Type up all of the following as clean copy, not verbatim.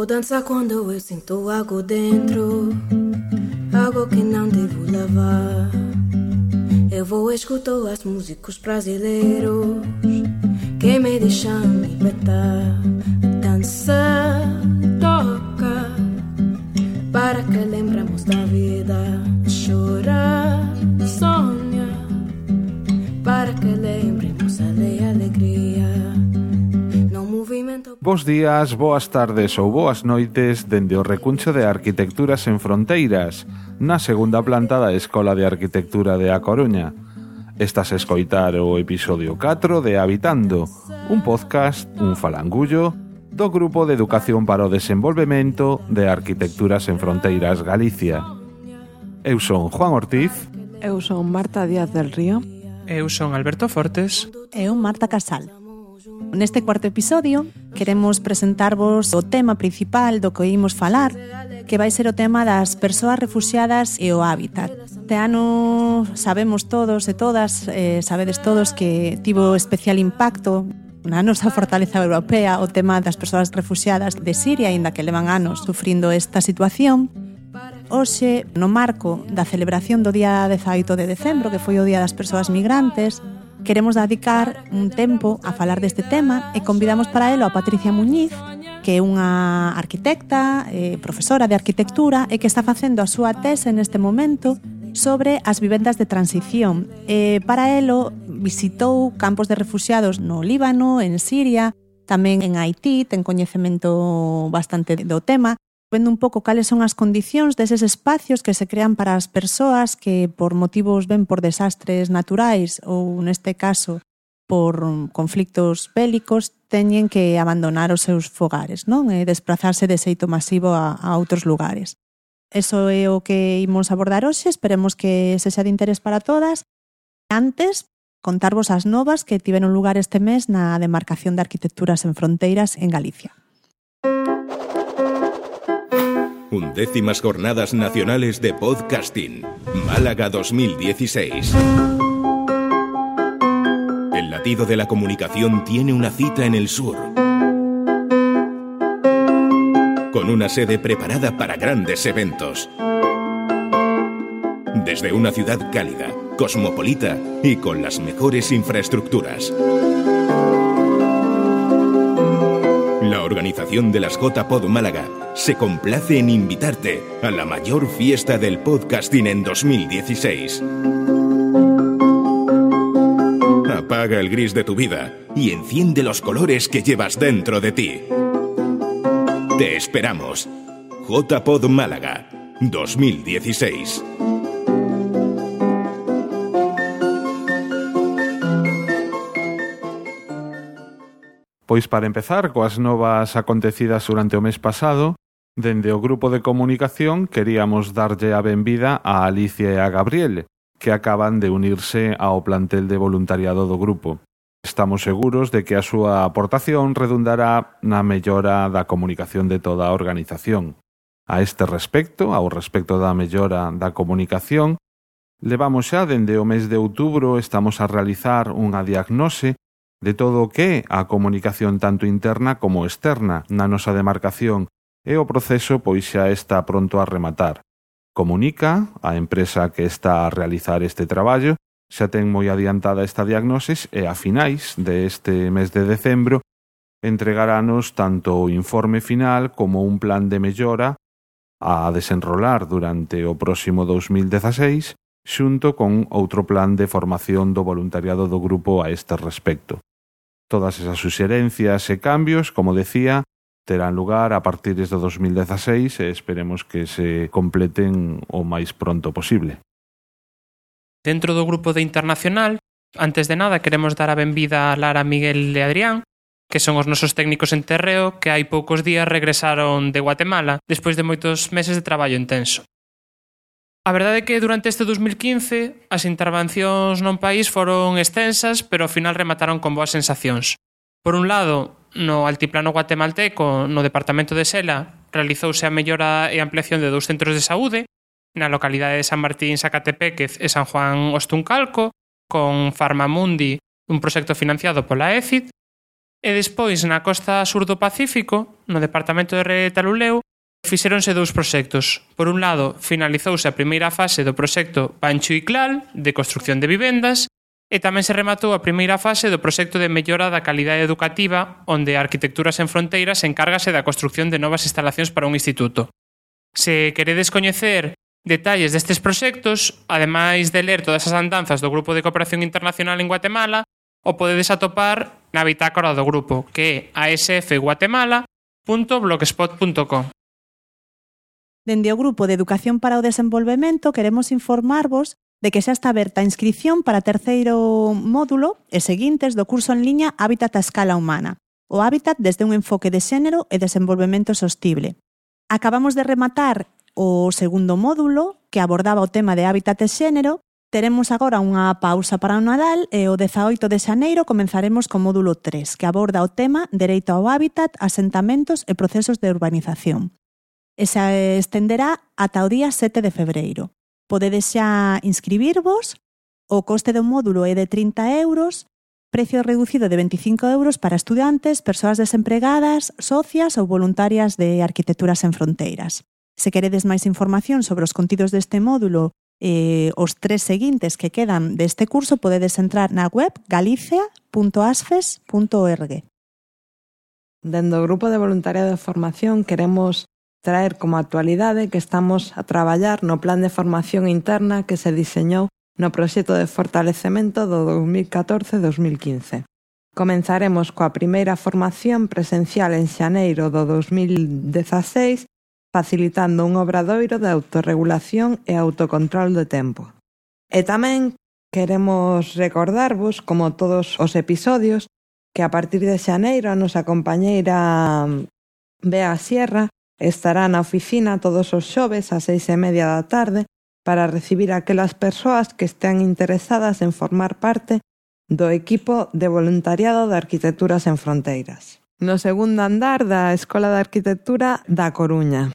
Vou dançar quando eu sinto algo dentro, algo que não devo levar. Eu vou escutar as músicos brasileiros que me deixam libertar. Dança, toca, para que lembremos da vida. Chora, sonha, para que lembremos a alegria. No movimento. Bos días, boas tardes ou boas noites dende o recuncho de Arquitecturas en Fronteiras, na segunda planta da Escola de Arquitectura de A Coruña. Estás a escoitar o episodio 4 de Habitando, un podcast, un falangullo, do Grupo de Educación para o Desenvolvemento de Arquitecturas en Fronteiras Galicia. Eu son Juan Ortiz. Eu son Marta Díaz del Río. Eu son Alberto Fortes. Eu Marta Casal. Neste cuarto episodio queremos presentarvos o tema principal do que imos falar, que vai ser o tema das persoas refuxiadas e o hábitat. Este ano sabemos todos e todas, sabedes todos que tivo especial impacto na nosa fortaleza europea o tema das persoas refuxiadas de Siria, aínda que levan anos sufrindo esta situación. Hoxe, no marco da celebración do día 18 de decembro, que foi o Día das Persoas Migrantes, queremos dedicar un tempo a falar deste tema e convidamos para elo a Patricia Muñiz, que é unha arquitecta, profesora de arquitectura e que está facendo a súa tese neste momento sobre as vivendas de transición. Para elo visitou campos de refuxiados no Líbano, en Siria, tamén en Haití, ten coñecemento bastante do tema, vendo un pouco cales son as condicións deses espacios que se crean para as persoas que por motivos ben por desastres naturais ou neste caso por conflictos bélicos teñen que abandonar os seus fogares, non? E desplazarse de xeito masivo a outros lugares. Eso é o que imos abordar hoxe, esperemos que sexa de interés para todas. Antes, contarvos as novas que tiveron lugar este mes na demarcación de Arquitecturas en Fronteiras en Galicia. 11ª Jornadas Nacionales de Podcasting, Málaga 2016. El latido de la comunicación tiene una cita en el sur, con una sede preparada para grandes eventos. Desde una ciudad cálida, cosmopolita y con las mejores infraestructuras. La organización de las JPod Málaga se complace en invitarte a la mayor fiesta del podcasting en 2016. Apaga el gris de tu vida y enciende los colores que llevas dentro de ti. Te esperamos. JPod Málaga 2016. Pois para empezar coas novas acontecidas durante o mes pasado, dende o grupo de comunicación queríamos darlle a benvida a Alicia e a Gabriel, que acaban de unirse ao plantel de voluntariado do grupo. Estamos seguros de que a súa aportación redundará na mellora da comunicación de toda a organización. A este respecto, ao respecto da mellora da comunicación, levamos xa dende o mes de outubro, estamos a realizar unha diagnose de todo o que é a comunicación tanto interna como externa na nosa demarcación e o proceso pois xa está pronto a rematar. Comunica, a empresa que está a realizar este traballo, xa ten moi adiantada esta diagnose e a finais deste mes de decembro entregarános tanto o informe final como un plan de mellora a desenrolar durante o próximo 2016 xunto con outro plan de formación do voluntariado do grupo a este respecto. Todas esas suxerencias e cambios, como decía, terán lugar a partir do 2016 e esperemos que se completen o máis pronto posible. Dentro do grupo de Internacional, antes de nada queremos dar a benvida a Lara, Miguel e Adrián, que son os nosos técnicos en terreo que hai poucos días regresaron de Guatemala despois de moitos meses de traballo intenso. A verdade é que durante este 2015 as intervencións non país foron extensas, pero ao final remataron con boas sensacións. Por un lado, no altiplano guatemalteco, no departamento de Sela, realizouse a mellora e ampliación de 2 centros de saúde, na localidade de San Martín, Zacatepéquez e San Juan Ostuncalco, con Farmamundi, un proxecto financiado pola EFID. E despois, na costa sur do Pacífico, no departamento de Retaluleu, fixéronse 2 proxectos. Por un lado, finalizouse a primeira fase do proxecto Pancho y Clal, de construcción de vivendas, e tamén se rematou a primeira fase do proxecto de mellora da calidade educativa, onde a Arquitecturas Sen Fronteiras encárgase da construcción de novas instalacións para un instituto. Se queredes coñecer detalles destes proxectos, ademais de ler todas as andanzas do Grupo de Cooperación Internacional en Guatemala, o podedes atopar na bitácora do grupo, que é asfguatemala.blogspot.com. Dende o Grupo de Educación para o Desenvolvemento queremos informarvos de que xa está aberta a inscripción para terceiro módulo e seguintes do curso en liña Hábitat a escala humana, o hábitat desde un enfoque de xénero e desenvolvemento sostible. Acabamos de rematar o segundo módulo, que abordaba o tema de hábitat e xénero. Teremos agora unha pausa para o Nadal e o 18 de xaneiro comenzaremos co módulo 3, que aborda o tema Dereito ao hábitat, asentamentos e procesos de urbanización. E se estenderá ata o día 7 de febreiro. Podedes xa inscribirvos, o coste do módulo é de 30 euros, precio reducido de 25 euros para estudantes, persoas desempregadas, socias ou voluntarias de Arquitecturas Sen Fronteiras. Se queredes máis información sobre os contidos deste módulo e os 3 seguintes que quedan deste curso, podedes entrar na web galicia.asfes.org. Dende o Grupo de Voluntariado de Formación queremos traer como actualidade que estamos a traballar no plan de formación interna que se diseñou no proxecto de fortalecemento do 2014-2015. Comenzaremos coa primeira formación presencial en xaneiro do 2016, facilitando un obradoiro de autorregulación e autocontrol de tempo. E tamén queremos recordarvos, como todos os episodios, que a partir de xaneiro a nosa compañeira Bea Sierra estará na oficina todos os xoves ás 6:30 da tarde para recibir aquelas persoas que estean interesadas en formar parte do equipo de voluntariado de Arquitecturas Sen Fronteiras, no segundo andar da Escola de Arquitectura da Coruña.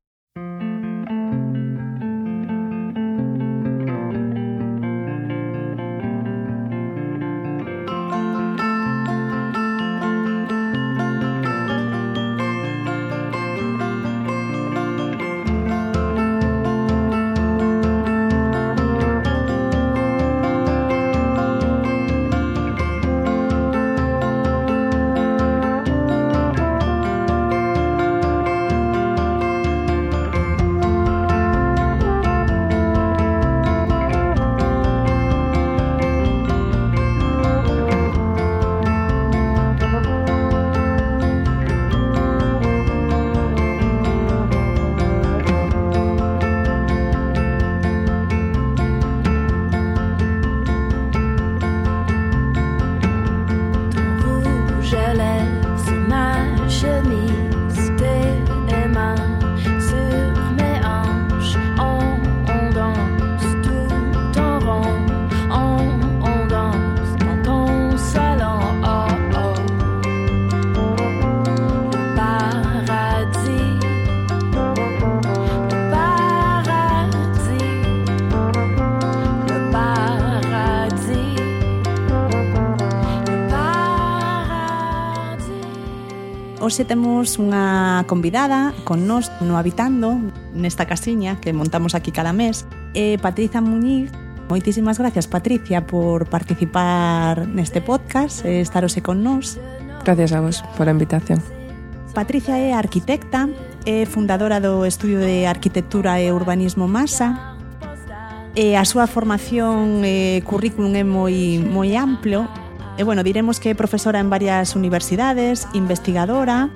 Hoxe temos unha convidada con nós no Habitando, nesta casiña que montamos aquí cada mes, Patricia Muñiz. Moitísimas gracias, Patricia, por participar neste podcast e estarose con nós. Gracias a vos por a invitación. Patricia é arquitecta, é fundadora do Estudio de Arquitectura e Urbanismo Masa, e a súa formación e currículum é moi amplo. E, bueno, diremos que é profesora en varias universidades, investigadora,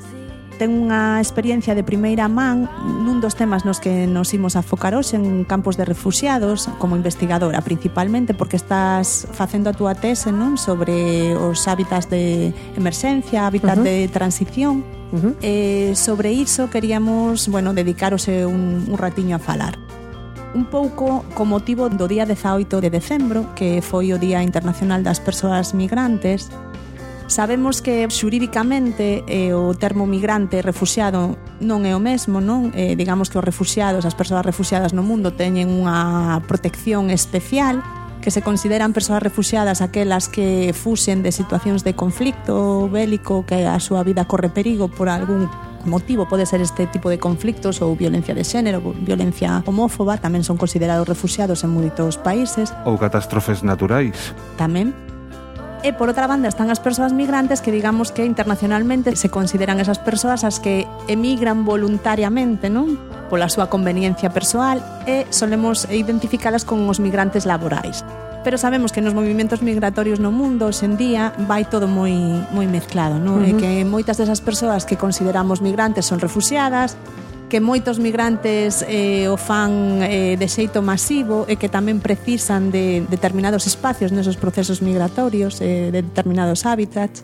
ten unha experiencia de primeira man nun dos temas nos que nos imos a focar hoxe, en campos de refuxiados, como investigadora, principalmente porque estás facendo a túa tese, non, sobre os hábitats de emerxencia, hábitats de transición. Sobre iso queríamos, bueno, dedicarose un ratiño a falar. Un pouco co motivo do día 18 de decembro, que foi o Día Internacional das Persoas Migrantes. Sabemos que xurídicamente o termo migrante e refuxiado non é o mesmo, non? Digamos que os refuxiados, as persoas refuxiadas no mundo teñen unha protección especial, que se consideran persoas refuxiadas aquelas que fuxen de situacións de conflicto bélico, que a súa vida corre perigo por algún motivo, pode ser este tipo de conflictos ou violencia de xénero, violencia homófoba, tamén son considerados refuxiados en moitos países. Ou catástrofes naturais. Tamén. E por outra banda están as persoas migrantes que digamos que internacionalmente se consideran esas persoas as que emigran voluntariamente, non? Pola súa conveniencia persoal e solemos identificalas con os migrantes laborais. Pero sabemos que nos movimentos migratorios no mundo hoxe en día vai todo moi mezclado, non? E que moitas desas persoas que consideramos migrantes son refuxiadas, que moitos migrantes o fan de xeito masivo e que tamén precisan de determinados espacios nesos procesos migratorios, de determinados hábitats.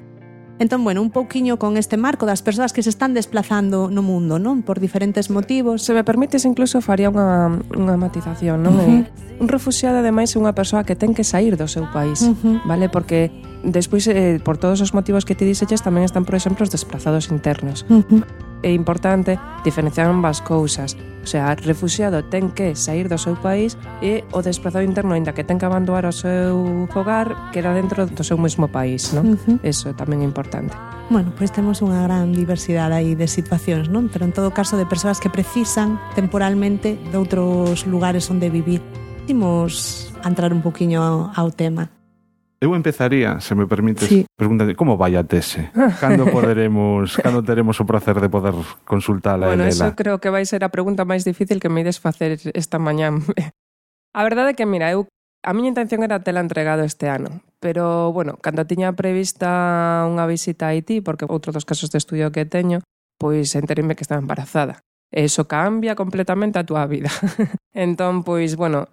Entón, bueno, un pouquiño con este marco das persoas que se están desplazando no mundo, non? Por diferentes motivos. Se me permites, incluso faría unha matización, non? Un refuxiado, ademais, é unha persoa que ten que sair do seu país, vale? Porque despois, por todos os motivos que te dixeches, tamén están, por exemplo, os desplazados internos. É importante diferenciar ambas cousas. O sea, o refuxiado ten que sair do seu país e o desplazado interno, aínda que ten que abandonar o seu fogar, queda dentro do seu mesmo país, non? Eso tamén é importante. Bueno, pois temos unha gran diversidade aí de situacións, non? Pero en todo caso de persoas que precisan temporalmente de outros lugares onde vivir. Imos a entrar un poquinho ao tema. Eu empezaría, se me permites, sí. Preguntando como vai a tese? Cando teremos o placer de poder consultala? Bueno, Lela? eso creo que vai ser a pregunta máis difícil que me ides facer esta mañán. A verdade é que, mira, a miña intención era tela entregado este ano, pero, bueno, cando tiña prevista unha visita a Haití, porque outro dos casos de estudio que teño, pois enterime que estaba embarazada. Eso cambia completamente a túa vida. Entón, pois, bueno,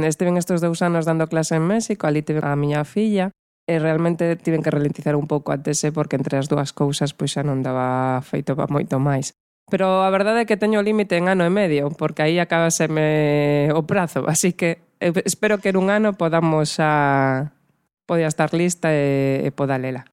estiven estes 2 anos dando clase en México, ali tive a miña filla, e realmente tiven que ralentizar un pouco a tese porque entre as dúas cousas pois xa non daba feito para moito máis. Pero a verdade é que teño o límite en ano e medio, porque aí acabaseme o prazo, así que espero que en un ano podamos poder estar lista e poda lela.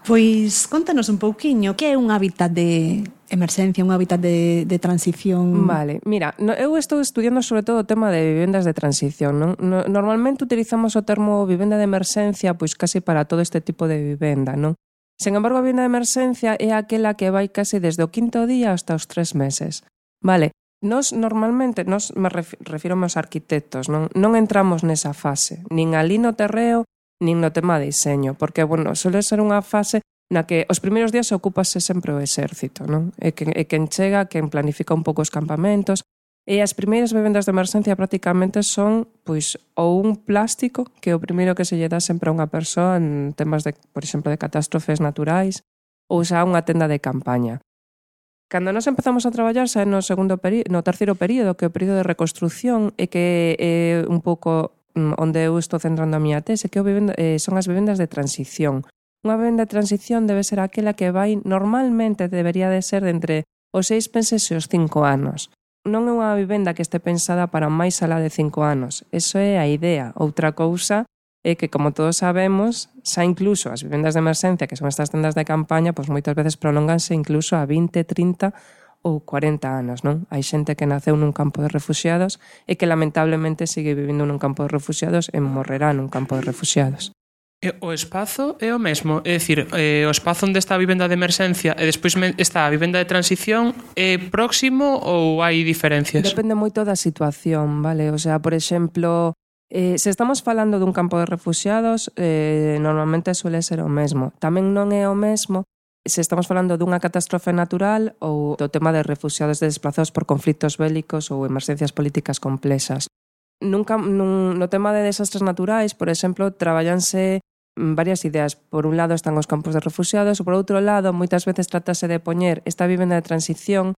Pois contanos un pouquiño, que é un hábitat de emerxencia, un hábitat de transición? Vale, mira, eu estou estudiando sobre todo o tema de vivendas de transición, non? Normalmente utilizamos o termo vivenda de emerxencia pois casi para todo este tipo de vivenda, non? Sen embargo, a vivenda de emerxencia é aquela que vai casi desde o 5º día hasta os 3 meses. Vale, normalmente, me refiro aos arquitectos, non entramos nesa fase, nin ali no terreo, nin no tema de diseño, porque, bueno, suele ser unha fase na que os primeiros días ocúpase sempre o exército, non? E quen chega, quen planifica un pouco os campamentos, e as primeiras vivendas de emerxencia prácticamente son, pois, ou un plástico, que é o primeiro que se lle dá sempre a unha persoa en temas de, por exemplo, de catástrofes naturais, ou xa unha tenda de campaña. Cando nos empezamos a traballar xa no terceiro período, que é o período de reconstrucción, e que é un pouco onde eu estou centrando a miña tese, que son as vivendas de transición. Unha vivenda de transición debe ser aquela que normalmente debería de ser de entre os 6 meses e os 5 anos. Non é unha vivenda que este pensada para máis alá de 5 anos. Eso é a idea. Outra cousa é que, como todos sabemos, xa incluso as vivendas de emerxencia, que son estas tendas de campaña, pois moitas veces prolonganse incluso a 20, 30 ou 40 anos, non? Hai xente que naceu nun campo de refuxiados e que lamentablemente sigue vivindo nun campo de refuxiados e morrerá nun campo de refuxiados. E o espazo é o mesmo, é dicir, o espazo onde está a vivenda de emerxencia e despois está a vivenda de transición é próximo ou hai diferencias? Depende moito da situación, vale? O sea, por exemplo, se estamos falando dun campo de refuxiados, normalmente suele ser o mesmo. Tamén non é o mesmo se estamos falando dunha catástrofe natural ou do tema de refuxiados desplazados por conflitos bélicos ou emerxencias políticas complexas. No tema de desastres naturais, por exemplo, traballanse varias ideas. Por un lado están os campos de refuxiados, por outro lado, moitas veces trátase de poñer esta vivenda de transición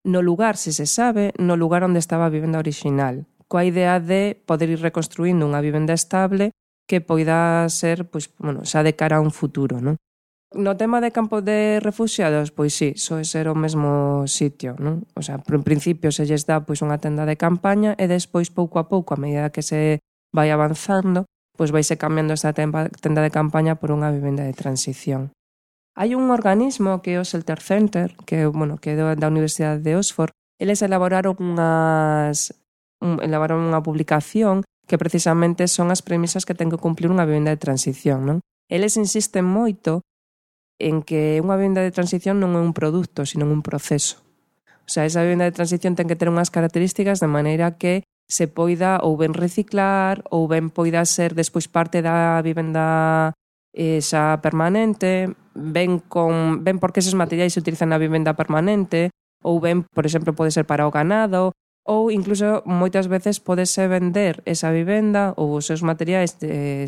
no lugar, se sabe, no lugar onde estaba a vivenda original, coa idea de poder ir reconstruindo unha vivenda estable que poida ser, pois, bueno, xa de cara a un futuro, non? No tema de campo de refuxiados, pois sí, soe ser o mesmo sitio, non? O sea, en principio se lles dá pois unha tenda de campaña e despois pouco a pouco, a medida que se vai avanzando, pois vaise cambiando esta tenda de campaña por unha vivenda de transición. Hai un organismo que é o Shelter Center, que é da Universidade de Oxford. Eles elaboraron unha publicación que precisamente son as premisas que ten que cumplir unha vivenda de transición, non? Eles insisten moito en que unha vivenda de transición non é un produto, sino un proceso. O sea, esa vivenda de transición ten que ter unhas características de maneira que se poida ou ben reciclar ou ben poida ser despois parte da vivenda xa permanente, ben porque eses materiais se utilizan na vivenda permanente ou ben, por exemplo, pode ser para o ganado ou incluso moitas veces podese vender esa vivenda ou os seus materiais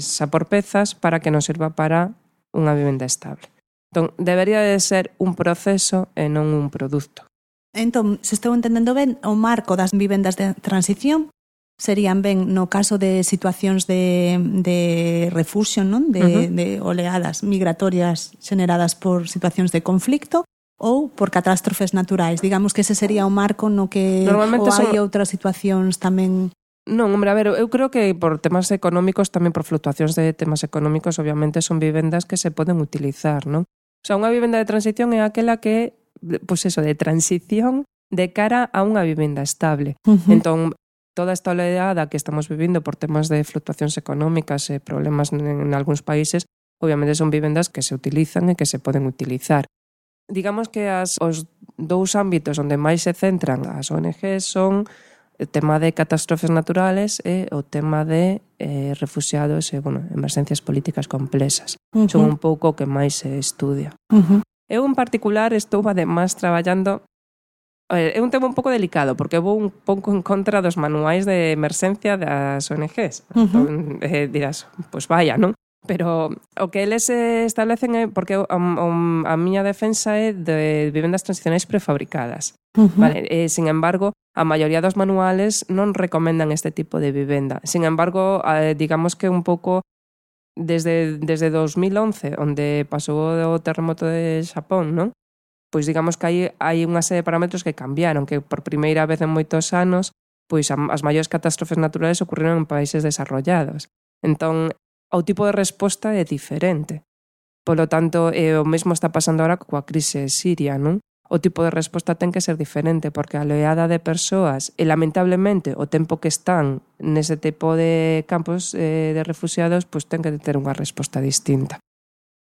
xa por pezas para que nos sirva para unha vivenda estable. Entón, debería de ser un proceso e non un produto. Entón, se estou entendendo ben, o marco das vivendas de transición serían ben no caso de situacións de refuxio, non? De oleadas migratorias xeneradas por situacións de conflicto ou por catástrofes naturais. Digamos que ese sería o marco no que ou hai outras situacións tamén. Non, hombre, a ver, eu creo que por temas económicos, tamén por fluctuacións de temas económicos, obviamente son vivendas que se poden utilizar, non? O sea, unha vivenda de transición é aquela que, pois eso, de transición de cara a unha vivenda estable. Entón, toda esta oleada que estamos vivindo por temas de fluctuacións económicas e problemas en algúns países, obviamente son vivendas que se utilizan e que se poden utilizar. Digamos que os dous ámbitos onde máis se centran as ONGs son o tema de catástrofes naturales e o tema de refuxiados e, emerxencias políticas complexas. Son un pouco o que máis se estudia. Eu, en particular, estou además traballando. É un tema un pouco delicado, porque vou un pouco en contra dos manuais de emerxencia das ONGs. Entón, dirás, pois vaya, non? Pero o que eles establecen é, porque a miña defensa é de vivendas transicionais prefabricadas. Vale? Sin embargo, a maioría dos manuales non recomendan este tipo de vivenda. Sin embargo, digamos que un pouco desde 2011, onde pasou o terremoto de Xapón, non? Pois digamos que hai unha serie de parámetros que cambiaron, que por primeira vez en moitos anos, pois as maiores catástrofes naturales ocurriron en países desarrollados. Entón, o tipo de resposta é diferente. Polo tanto, o mesmo está pasando ahora coa crise siria, non? O tipo de resposta ten que ser diferente, porque a oleada de persoas, e lamentablemente o tempo que están nese tipo de campos de refugiados, pois ten que ter unha resposta distinta.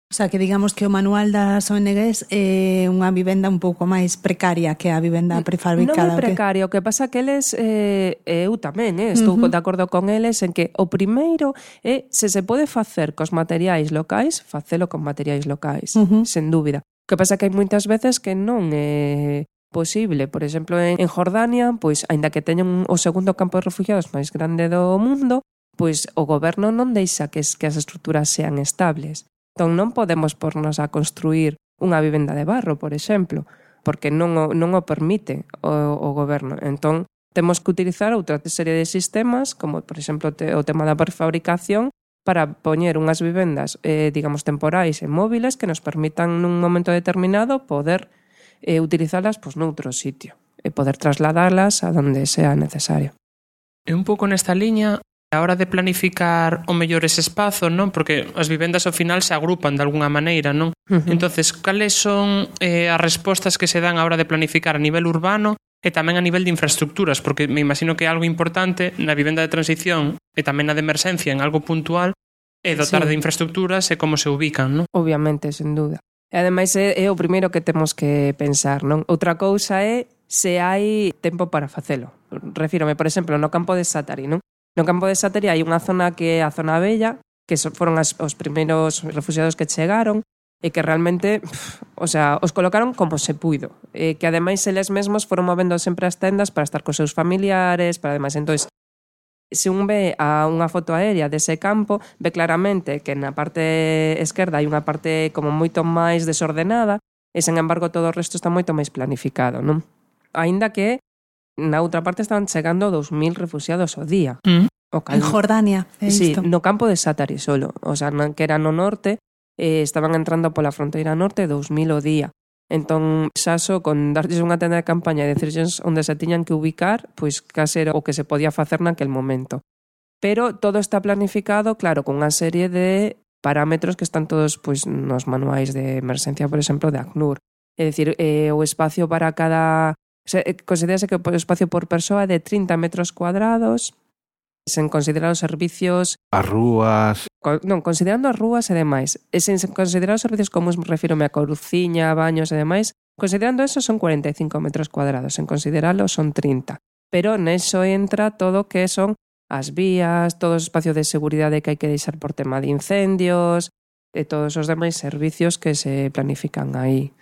O sea, que digamos que o manual das ONGs é unha vivenda un pouco máis precaria que a vivenda prefabricada. Non é precaria, o que pasa que eles, eu tamén, estou de acordo con eles en que o primeiro é, se pode facer cos materiais locais, facelo con materiais locais, sen dúbida. O que pasa que hai moitas veces que non é posible. Por exemplo, en Jordania, pois, aínda que teñen o segundo campo de refugiados máis grande do mundo, pois o goberno non deixa que as estruturas sean estables. Entón non podemos pornos a construir unha vivenda de barro, por exemplo, porque non o permite o goberno. Entón temos que utilizar outra serie de sistemas, como por exemplo o tema da prefabricación, para poñer unhas vivendas, digamos, temporais e móviles que nos permitan nun momento determinado poder utilizalas pois, noutro sitio e poder trasladalas a donde sea necesario. E un pouco nesta liña, a hora de planificar o mellor ese espazo, non? Porque as vivendas ao final se agrupan de algunha maneira, non? Entonces, cales son as respostas que se dan a hora de planificar a nivel urbano e tamén a nivel de infraestructuras? Porque me imagino que é algo importante na vivenda de transición e tamén na de emerxencia en algo puntual é dotar de infraestructuras e como se ubican, non? Obviamente, sen dúda. E ademais é o primeiro que temos que pensar, non? Outra cousa é se hai tempo para facelo. Refírome, por exemplo, no campo de Sátari, non? No campo de Sátari hai unha zona que é a zona bella, que foron os primeiros refugiados que chegaron e que realmente, os colocaron como se puido. Que ademais eles mesmos foron movendo sempre as tendas para estar cos seus familiares, para ademais, entón, se un ve a unha foto aérea dese campo, ve claramente que na parte esquerda hai unha parte como moito máis desordenada e, sen embargo, todo o resto está moito máis planificado, non? Aínda que na outra parte estaban chegando 2.000 refugiados ao día. En Jordania. Sí, no campo de Sátari solo. O sea, que era no norte, estaban entrando pola fronteira norte 2.000 ao día. Entón, xa só con darlles unha tenda de campaña e decirles onde se tiñan que ubicar, pois case era o que se podía facer naquel momento. Pero todo está planificado, claro, con unha serie de parámetros que están todos pois nos manuais de emerxencia, por exemplo, de ACNUR. É dicir, o espacio para cada... considerase que o espacio por persoa é de 30 metros cuadrados sen considerar os servicios... As rúas... Non, considerando as rúas e demais. E sen considerar os servicios comuns, refírome a coruciña, baños e demais, considerando eso son 45 metros cuadrados, sen consideralo son 30. Pero neso entra todo o que son as vías, todo o espacio de seguridade que hai que deixar por tema de incendios e todos os demais servicios que se planifican aí.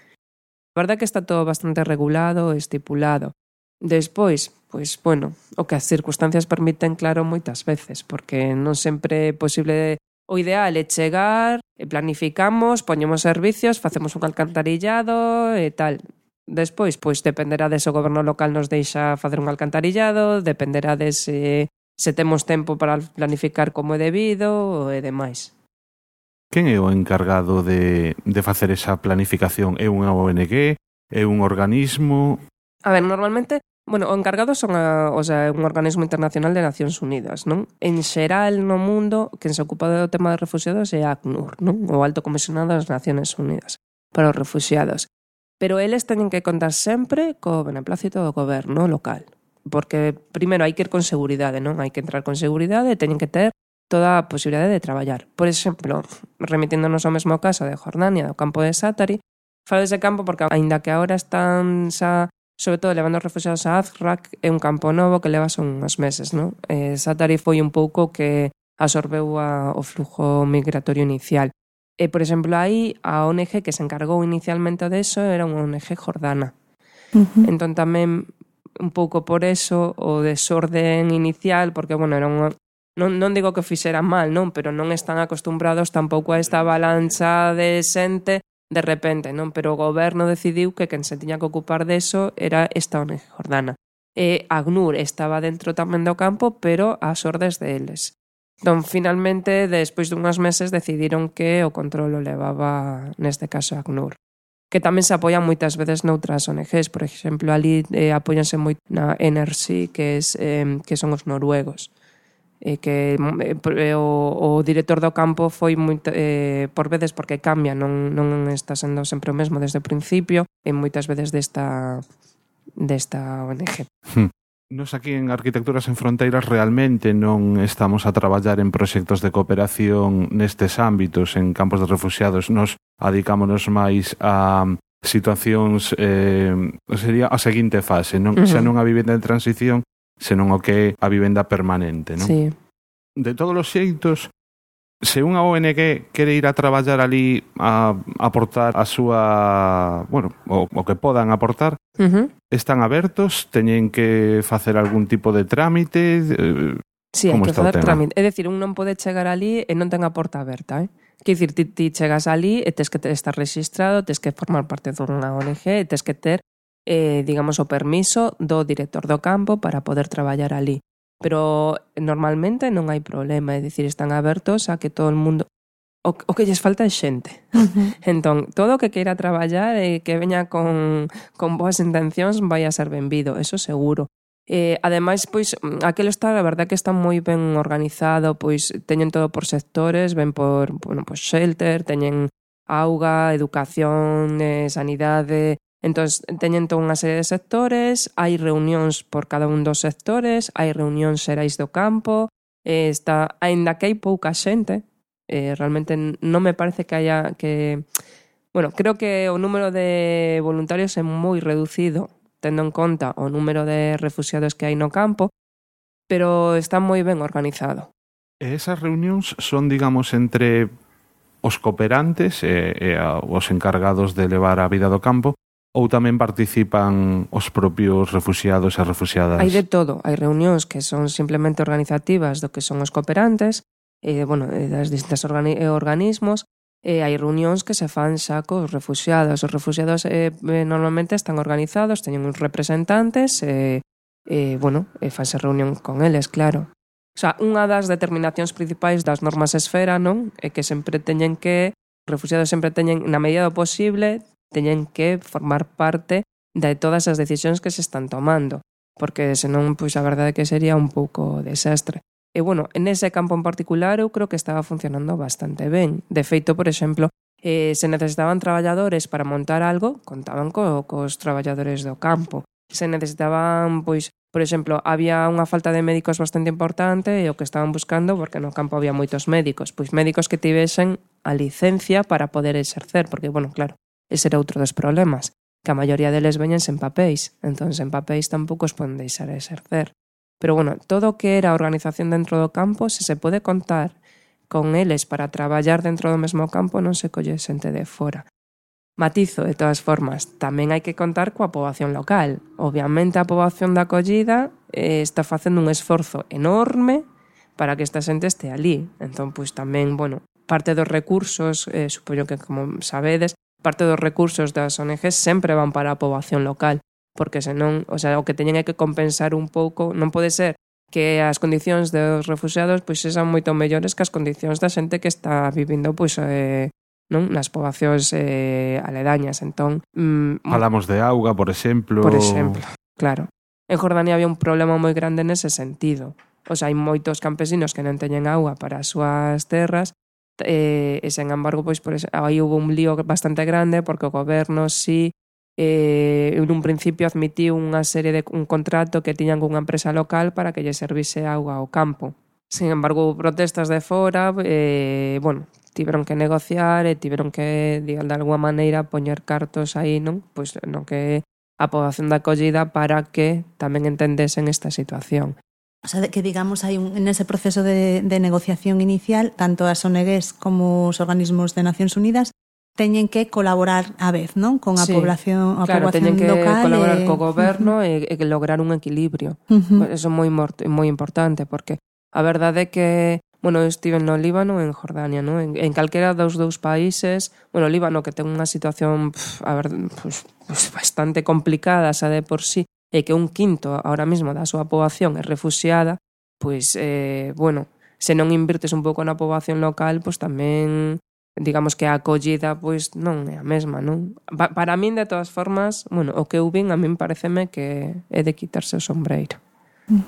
A verdade é que está todo bastante regulado e estipulado. Despois, pois, bueno, o que as circunstancias permiten, claro, moitas veces, porque non sempre é posible. O ideal é chegar, planificamos, poñemos servicios, facemos un alcantarillado e tal. Despois, pois, dependerá de se o goberno local nos deixa facer un alcantarillado, dependerá de se temos tempo para planificar como é debido e demais. Quen é o encargado de facer esa planificación? É unha ONG? É un organismo? A ver, normalmente, o encargado son un organismo internacional de Nacións Unidas, non? En xeral no mundo, quen se ocupa do tema de refugiados é a ACNUR, non? O Alto Comisionado das Nacións Unidas para os refugiados. Pero eles teñen que contar sempre co beneplácito do goberno local. Porque, primeiro, hai que ir con seguridade, non? Hai que entrar con seguridade e teñen que ter toda a posibilidade de traballar. Por exemplo, remitíndonos ao mesmo caso de Jordania, do campo de Zaatari, falo dese campo porque, aínda que agora están xa, sobre todo, levando os refugiados a Azraq, é un campo novo que leva son uns meses, non? Zaatari foi un pouco que absorbeu o flujo migratorio inicial. E, por exemplo, aí a ONG que se encargou inicialmente deso era unha ONG jordana. Entón tamén, un pouco por eso, o desorden inicial, porque, era unha... Non digo que fixeran mal, non, pero non están acostumbrados tampouco a esta avalancha de xente de repente, non, pero o goberno decidiu que quen se tiña que ocupar deso era esta ONG jordana. E ACNUR estaba dentro tamén do campo, pero ás ordes deles. Entón, finalmente, despois dunhas meses, decidiron que o control o levaba, neste caso, ACNUR. Que tamén se apoian moitas veces noutras ONGs, por exemplo, ali apóianse moito na NRC, que son os noruegos. Que o director do campo foi moito, por veces porque cambia, non está sendo sempre o mesmo desde o principio, e moitas veces desta ONG. Nos aquí en Arquitecturas en Fronteiras realmente non estamos a traballar en proxectos de cooperación nestes ámbitos, en campos de refugiados. Nos adicámonos máis a situacións, sería a seguinte fase, non? Xa non a vivenda de transición, senón o que é a vivenda permanente, non? Sí. De todos os xeitos, se unha ONG quere ir a traballar ali a aportar a súa... o que podan aportar, están abertos, teñen que facer algún tipo de trámite... Sí, hai que facer trámite. É dicir, un non pode chegar ali e non ten a porta aberta, Quer dicir, ti chegas ali e tes que estar registrado, tes que formar parte dunha ONG e tes que ter digamos, o permiso do director do campo para poder traballar ali. Pero normalmente non hai problema, é dicir, están abertos a que todo o mundo... O que lles falta é xente. Entón, todo o que queira traballar e que veña con boas intencións vai a ser benvido, eso seguro. Ademais, pois, aquilo está, a verdad que está moi ben organizado, pois teñen todo por sectores, ven por, shelter, teñen auga, educación, sanidade... Entón, teñen toda unha serie de sectores, hai reunións por cada un dos sectores, hai reunións xerais do campo, aínda que hai pouca xente, realmente non me parece que haya que... creo que o número de voluntarios é moi reducido, tendo en conta o número de refugiados que hai no campo, pero está moi ben organizado. E esas reunións son, digamos, entre os cooperantes e os encargados de levar a vida do campo, ou tamén participan os propios refugiados e refugiadas? Hai de todo. Hai reunións que son simplemente organizativas do que son os cooperantes, das distintas organismos, e hai reunións que se fan xa cos refugiados. Os refugiados normalmente están organizados, teñen uns representantes, fanse reunión con eles, claro. O sea, unha das determinacións principais das normas esfera, non? É que sempre teñen que, os refugiados sempre teñen, na medida do posible, teñen que formar parte de todas as decisións que se están tomando, porque senón, pois a verdade é que sería un pouco desastre. E, en ese campo en particular eu creo que estaba funcionando bastante ben. De feito, por exemplo, se necesitaban traballadores para montar algo, contaban cos traballadores do campo. Se necesitaban, Por exemplo, había unha falta de médicos bastante importante e o que estaban buscando, porque no campo había moitos médicos, pois médicos que tivesen a licencia para poder exercer, porque, bueno, claro, ese era outro dos problemas, que a maioría deles veñen sen papéis, entón sen papéis tampouco os poden deixar exercer. Pero, bueno, todo o que era a organización dentro do campo, se se pode contar con eles para traballar dentro do mesmo campo, non se colle xente de fora. Matizo, de todas formas, tamén hai que contar coa poboación local. Obviamente a poboación da acollida está facendo un esforzo enorme para que esta xente este ali. Entón, pois tamén, bueno, parte dos recursos, supoño que como sabedes, parte dos recursos das ONGs sempre van para a poboación local, porque senón, o sea, o que teñen é que compensar un pouco, non pode ser que as condicións dos refugiados pois sexan moito mellores que as condicións da xente que está vivindo pois non nas poboacións aledañas. Entón, falamos de auga, por exemplo. Por exemplo, claro. En Jordania había un problema moi grande nese sentido. O sea, hai moitos campesinos que non teñen auga para as súas terras e, sen embargo, pois aí hubo un lío bastante grande porque o goberno en un principio admitiu unha serie de un contrato que tiñan cunha empresa local para que lle servise auga ao campo. Sin embargo, protestas de fora, bueno, tiveron que negociar e tiveron que, de alguma maneira, poñer cartos aí, non? Pois non que a poboación da acollida para que tamén entendesen esta situación. O sea, que digamos hai nese proceso de negociación inicial, tanto as ONGs como os organismos de Nacións Unidas teñen que colaborar á vez, non? Con a población, a claro, poboación teñen que local colaborar co goberno e lograr un equilibrio. Eso é moi importante, porque a verdade é que, bueno, eu estive no Líbano e en Jordania, non? En calquera dos dous países, bueno, Líbano que ten unha situación pues bastante complicada xa de por sí, e que un quinto ahora mesmo da súa poboación é refuxiada, pois, bueno, se non invirtes un pouco na poboación local, pois tamén, digamos que a acollida pois non é a mesma, non? Para min, de todas formas, bueno, o que eu vin a min pareceme que é de quitarse o sombreiro.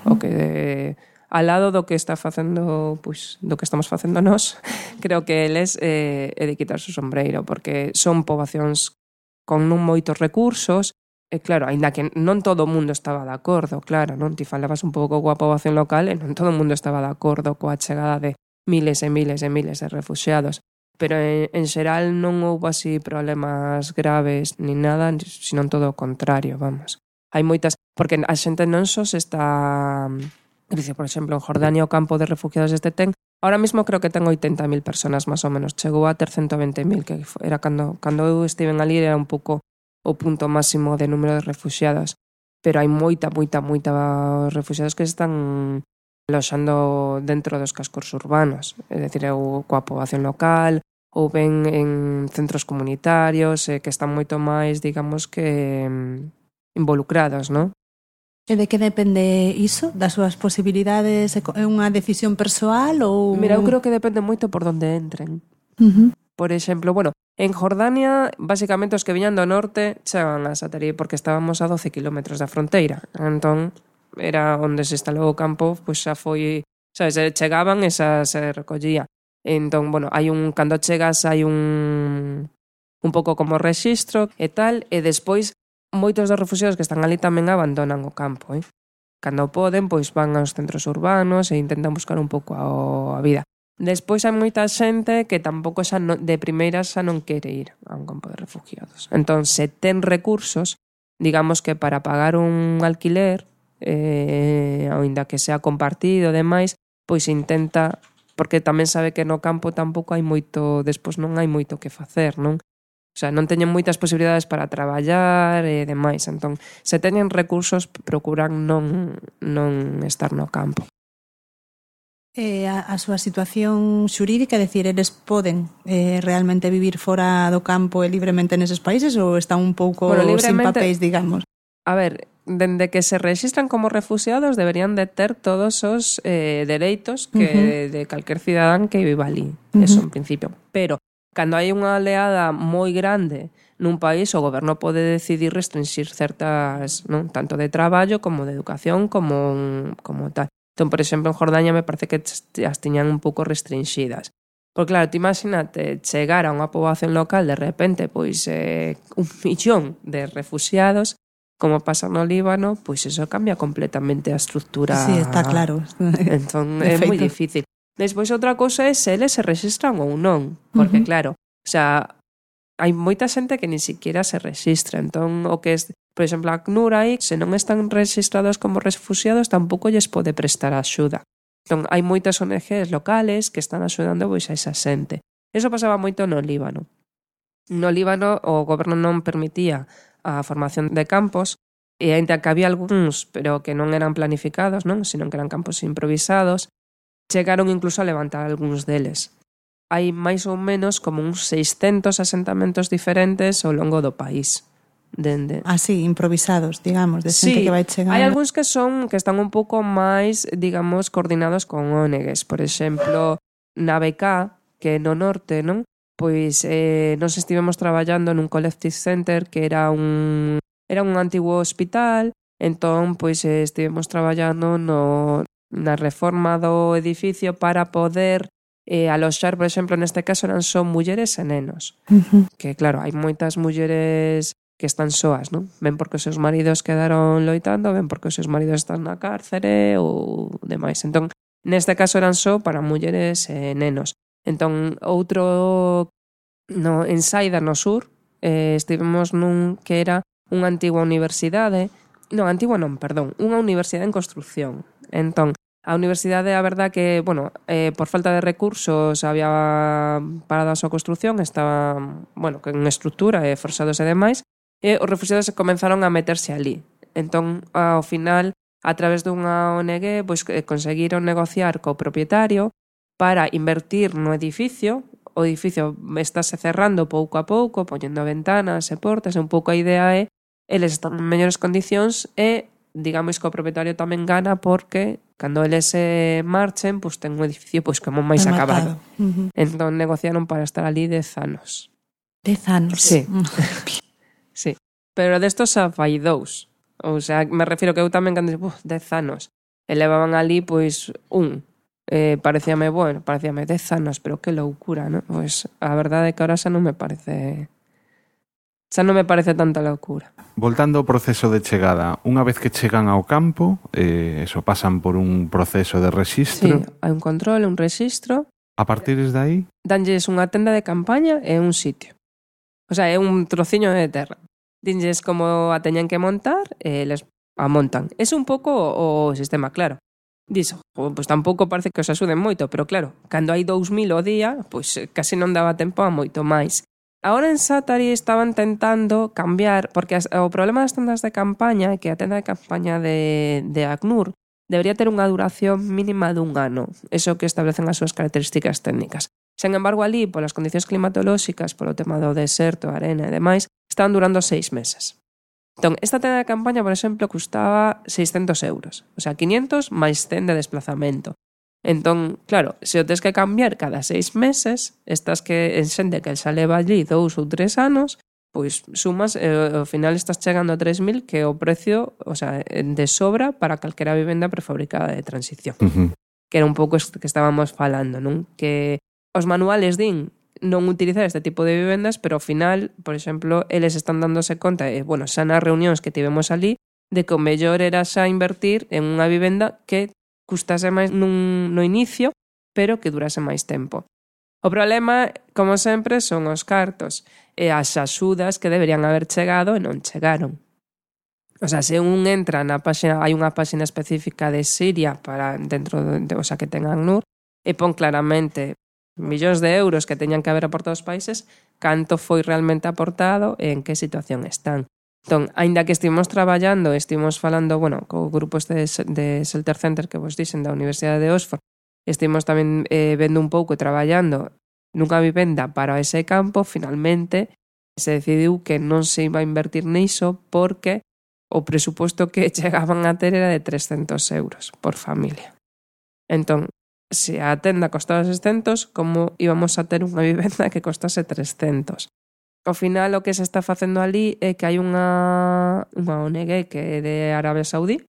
O que al lado do que está facendo, pois, do que estamos facendo nós, creo que eles é de quitarse o sombreiro, porque son poboacións con non moitos recursos. E claro, aínda que non todo o mundo estaba de acordo, claro, non? Ti falabas un pouco coa poboación local e non todo o mundo estaba de acordo coa chegada de miles e miles e miles de refuxiados. Pero en xeral non houve así problemas graves ni nada, senón todo o contrario, vamos. Hai moitas, porque a xente non só se está, por exemplo, en Jordania o campo de refugiados ten, ahora mesmo creo que ten 80.000 personas máis ou menos, chegou a ter 120.000, que era cando eu estiven ali era un pouco o punto máximo de número de refugiados, pero hai moita refugiados que se están aloxando dentro dos cascos urbanos, é dicir, coa poboación local, ou ben en centros comunitarios, que están moito máis, digamos que involucrados, non? E de que depende iso? Das súas posibilidades? É unha decisión persoal ou...? Mira, eu creo que depende moito por onde entren. Por exemplo, bueno, en Jordania, basicamente, os que viñan do norte chegaban a Satari porque estábamos a 12 kilómetros da fronteira. Entón, era onde se instalou o campo, pois xa foi, sabes, chegaban e xa se recollía. Entón, bueno, cando chegas hai un pouco como rexistro e tal, e despois moitos dos refugiados que están ali tamén abandonan o campo, Cando poden, pois van aos centros urbanos e intentan buscar un pouco a vida. Despois hai moita xente que tampouco xa de primeira xa non quere ir a un campo de refugiados. Entón, se ten recursos, digamos que para pagar un alquiler, aínda que sea compartido e demais, pois intenta, porque tamén sabe que no campo tampouco hai moito, despois non hai moito que facer, non? O sea, non teñen moitas posibilidades para traballar e demais. Entón, se teñen recursos, procuran non estar no campo. A súa situación xurídica, é dicir, eles poden realmente vivir fora do campo e libremente neses países ou están un pouco sin papéis, digamos? A ver, dende que se registran como refugiados deberían de ter todos os dereitos que de calquer cidadán que viva ali, eso en principio. Pero cando hai unha oleada moi grande nun país, o goberno pode decidir restringir certas, non, tanto de traballo como de educación como tal. Entón, por exemplo, en Jordania me parece que as tiñan un pouco restringidas. Porque claro, te imagínate chegar a unha poboación local de repente, pois 1 millón de refugiados, como pasa no Líbano, pois eso cambia completamente a estrutura. Sí, está claro. Entón é moi difícil. Despois outra cousa é se eles se rexistran ou non, porque claro, o sea, hai moita xente que ni siquiera se rexistra, entón o que é, por exemplo, a ACNUR aí, se non están registrados como refugiados, tampouco lles pode prestar axuda. Entón hai moitas ONGs locales que están axudando pois a esa xente. Eso pasaba moito no Líbano. No Líbano o goberno non permitía a formación de campos, e ainda que había algúns, pero que non eran planificados, non, sino que eran campos improvisados, chegaron incluso a levantar algúns deles. Hai máis ou menos como uns 600 asentamentos diferentes ao longo do país. Así, improvisados, digamos, de xente que vai chegando. Hai algúns que están un pouco máis, digamos, coordinados con ONGs. Por exemplo, na BK, que no norte, non? Pois nos estivemos traballando nun collective center que era un antigo hospital, entón pois estivemos traballando na reforma do edificio para poder aloxar, por exemplo, neste caso eran só mulleres e nenos. Que claro, hai moitas mulleres que están soas, non? Ben porque os seus maridos quedaron loitando, ben porque os seus maridos están na cárcere ou demais. Entón, neste caso eran só para mulleres e nenos. Entón, outro en Saida, no sur, estivemos nun que era unha antigua universidade, unha universidade en construcción. Entón, a universidade, a verdad que, bueno, por falta de recursos había parado a súa construcción, estaba, bueno, con estrutura e forzados e demais, e os refugiados comenzaron a meterse ali. Entón, ao final, a través dunha ONG, pois conseguiron negociar co propietario para invertir no edificio. O edificio estáse cerrando pouco a pouco, poñendo ventanas e portas, e un pouco a idea é eles están en mellores condicións e, digamos, que o propietario tamén gana porque cando eles se marchen, pois ten un edificio pois como máis acabado. Entón negociaron para estar ali 10 anos. 10 anos? Sí. Sí. Pero destos xa fai 2. O sea, me refiro que eu tamén cando 10 anos. E levaban ali, pois, parecíame 10 anos, pero que loucura, non? Pois a verdade é que ahora xa non me parece tanta loucura. Voltando ao proceso de chegada, unha vez que chegan ao campo, eso pasan por un proceso de rexistro. Sí, hai un control, un rexistro. A partir de aí? Danlles unha tenda de campaña e un sitio. O sea, é un trociño de terra. Dinlles como a teñen que montar e les a montan. É un pouco o sistema, claro. Dixo, pois tampouco parece que os axuden moito, pero claro, cando hai 2000 ao día, pois casi non daba tempo a moito máis. Agora en Sátari estaban tentando cambiar, porque o problema das tendas de campaña é que a tenda de campaña de ACNUR debería ter unha duración mínima dun ano, eso que establecen as súas características técnicas. Sen embargo, ali, polas condicións climatolóxicas, polo tema do deserto, arena e demais, estaban durando 6 meses. Entón, esta tenda de campaña, por exemplo, custaba 600 euros. O sea, 500 máis 100 de desplazamento. Entón, claro, se o tes que cambiar cada 6 meses, estás que en xente que xa leva allí 2 ou 3 anos, pois sumas, ao final estás chegando a 3.000, que é o precio, o sea, de sobra para calquera vivenda prefabricada de transición. Que era un pouco isto que estábamos falando, non? Que os manuales din non utilizar este tipo de vivendas, pero ao final, por exemplo, eles están dándose conta, bueno, xa nas reunións que tivemos ali, de que o mellor era xa invertir en unha vivenda que custase máis no inicio, pero que durase máis tempo. O problema, como sempre, son os cartos e as axudas que deberían haber chegado e non chegaron. O sea, se un entra na páxina, hai unha páxina específica de Siria para dentro o sea, que tengan ACNUR, e pon claramente millóns de euros que teñan que haber aportado os países, canto foi realmente aportado e en que situación están. Entón, aínda que estivemos traballando, estivemos falando, bueno, co grupo de Shelter Center que vos dixen da Universidade de Oxford, estivemos tamén vendo un pouco e traballando nunha vivenda para ese campo, finalmente se decidiu que non se iba a invertir niso porque o presuposto que chegaban a ter era de 300 euros por familia. Entón, se a tenda costaba 600, como íbamos a ter unha vivenda que costase 300? Ao final, o que se está facendo ali é que hai unha ONG que é de Arabia Saudí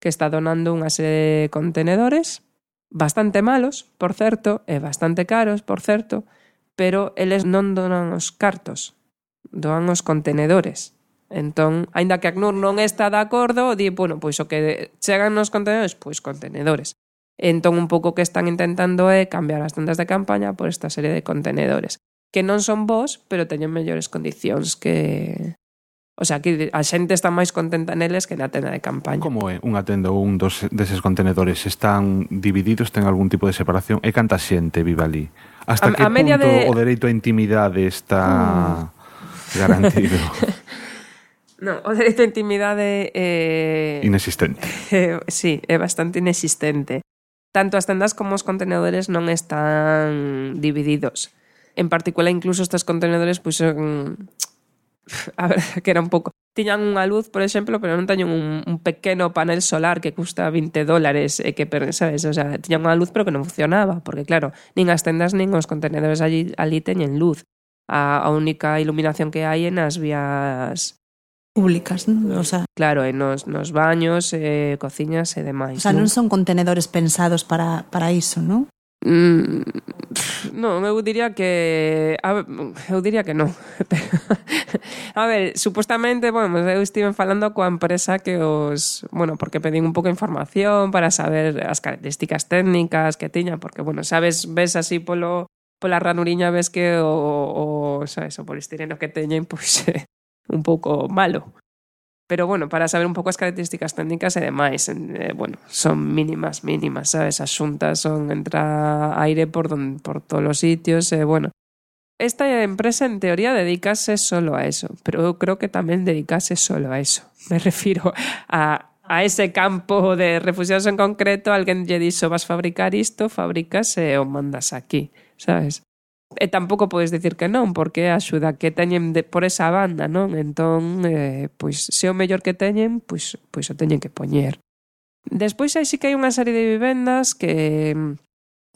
que está donando unha serie de contenedores bastante malos, por certo, e bastante caros, por certo, pero eles non donan os cartos, doan os contenedores. Entón, aínda que ACNUR non está de acordo, di, bueno, pois o que chegan nos contenedores, pois contenedores. Entón, un pouco que están intentando é cambiar as tendas de campaña por esta serie de contenedores, que non son bons, pero teñen mellores condicións que... O sea, que a xente está máis contenta neles que na tenda de campaña. Como é unha tenda ou un deses contenedores? Están divididos? Ten algún tipo de separación? E canta xente vive ali? Hasta que punto o dereito á intimidade está garantido? Non, o dereito á intimidade inexistente. Sí, é bastante inexistente. Tanto as tendas como os contenedores non están divididos. En particular, incluso estes contenedores, pois son... A ver, que era un pouco... Tiñan unha luz, por exemplo, pero non teñen un pequeno panel solar que custa $20 e que, sabes, o sea, tiñan unha luz pero que non funcionaba, porque claro, nin as tendas nin os contenedores ali teñen luz. A única iluminación que hai é nas vías públicas, non? O sea, claro, e nos baños, cociñas e demais. O sea, non son contenedores pensados para iso, non? Non, eu diría que non. A ver, supostamente, bueno, eu estive falando coa empresa que bueno, porque pedín un pouco de información para saber as características técnicas que tiña, porque, bueno, sabes, ves así pola ranuriña, ves que sabes, o polistireno que teñen, pois un pouco malo. Pero, bueno, para saber un pouco as características técnicas e demais, bueno, son mínimas, sabes? As xuntas son entra aire por todos os sitios, bueno. Esta empresa, en teoría, dedicase solo a eso, pero eu creo que tamén dedicase solo a eso. Me refiro a ese campo de refugiados en concreto, alguén lle dixo, vas fabricar isto, fabricas e o mandas aquí, sabes? E tampouco podes dicir que non, porque a axuda que teñen por esa banda, non? Entón, pois, se o mellor que teñen, pois o teñen que poñer. Despois aí sí que hai unha serie de vivendas que,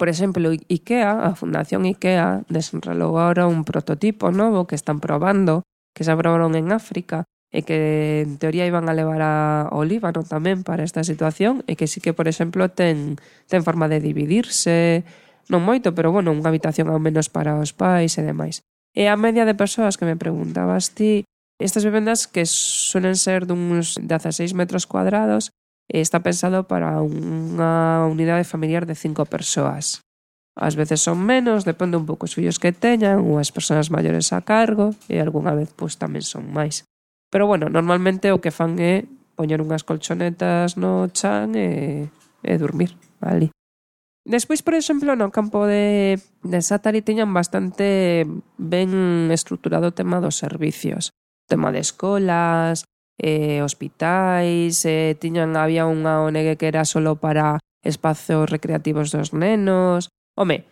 por exemplo, IKEA, a Fundación IKEA, desenrolou agora un prototipo novo que están probando, que se aprobaron en África, e que en teoría iban a levar ao Líbano tamén para esta situación, e que sí que, por exemplo, ten forma de dividirse, non moito, pero, bueno, unha habitación ao menos para os pais e demais. E a media de persoas que me preguntabas ti, estas vivendas que suelen ser duns 16 metros cuadrados, está pensado para unha unidade familiar de 5 persoas. Ás veces son menos, depende un pouco os fillos que teñan, ou as persoas maiores a cargo, e algunha vez pois tamén son máis. Pero, bueno, normalmente o que fan é poñer unhas colchonetas no chan e dormir ali. Despois, por exemplo, no campo de Sátari tiñan bastante ben estruturado o tema dos servicios. O tema de escolas, hospitais, había unha ONG que era solo para espazos recreativos dos nenos. Home,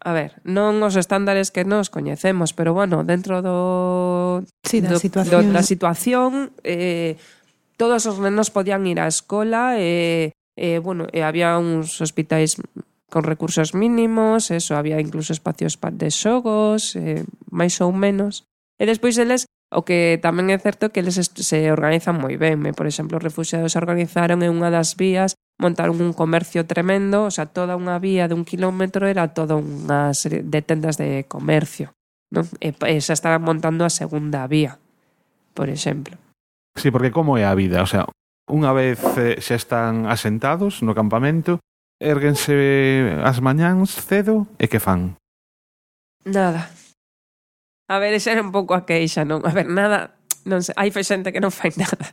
a ver, non os estándares que nos coñecemos, pero, bueno, dentro da situación, todos os nenos podían ir á escola bueno, había uns hospitais con recursos mínimos, había incluso espacios de xogos, máis ou menos. E despois eles, o que tamén é certo que eles se organizan moi ben. Por exemplo, os refugiados se organizaron en unha das vías, montaron un comercio tremendo, o sea, toda unha vía de 1 kilómetro era toda unha serie de tendas de comercio, non? E xa estaban montando a segunda vía, por exemplo. Sí, porque como é a vida? O sea, unha vez xa están asentados no campamento, érguense as mañáns cedo e que fan? Nada. A ver, esa era un pouco a queixa, non? A ver, nada, non sei, hai xente que non fai nada.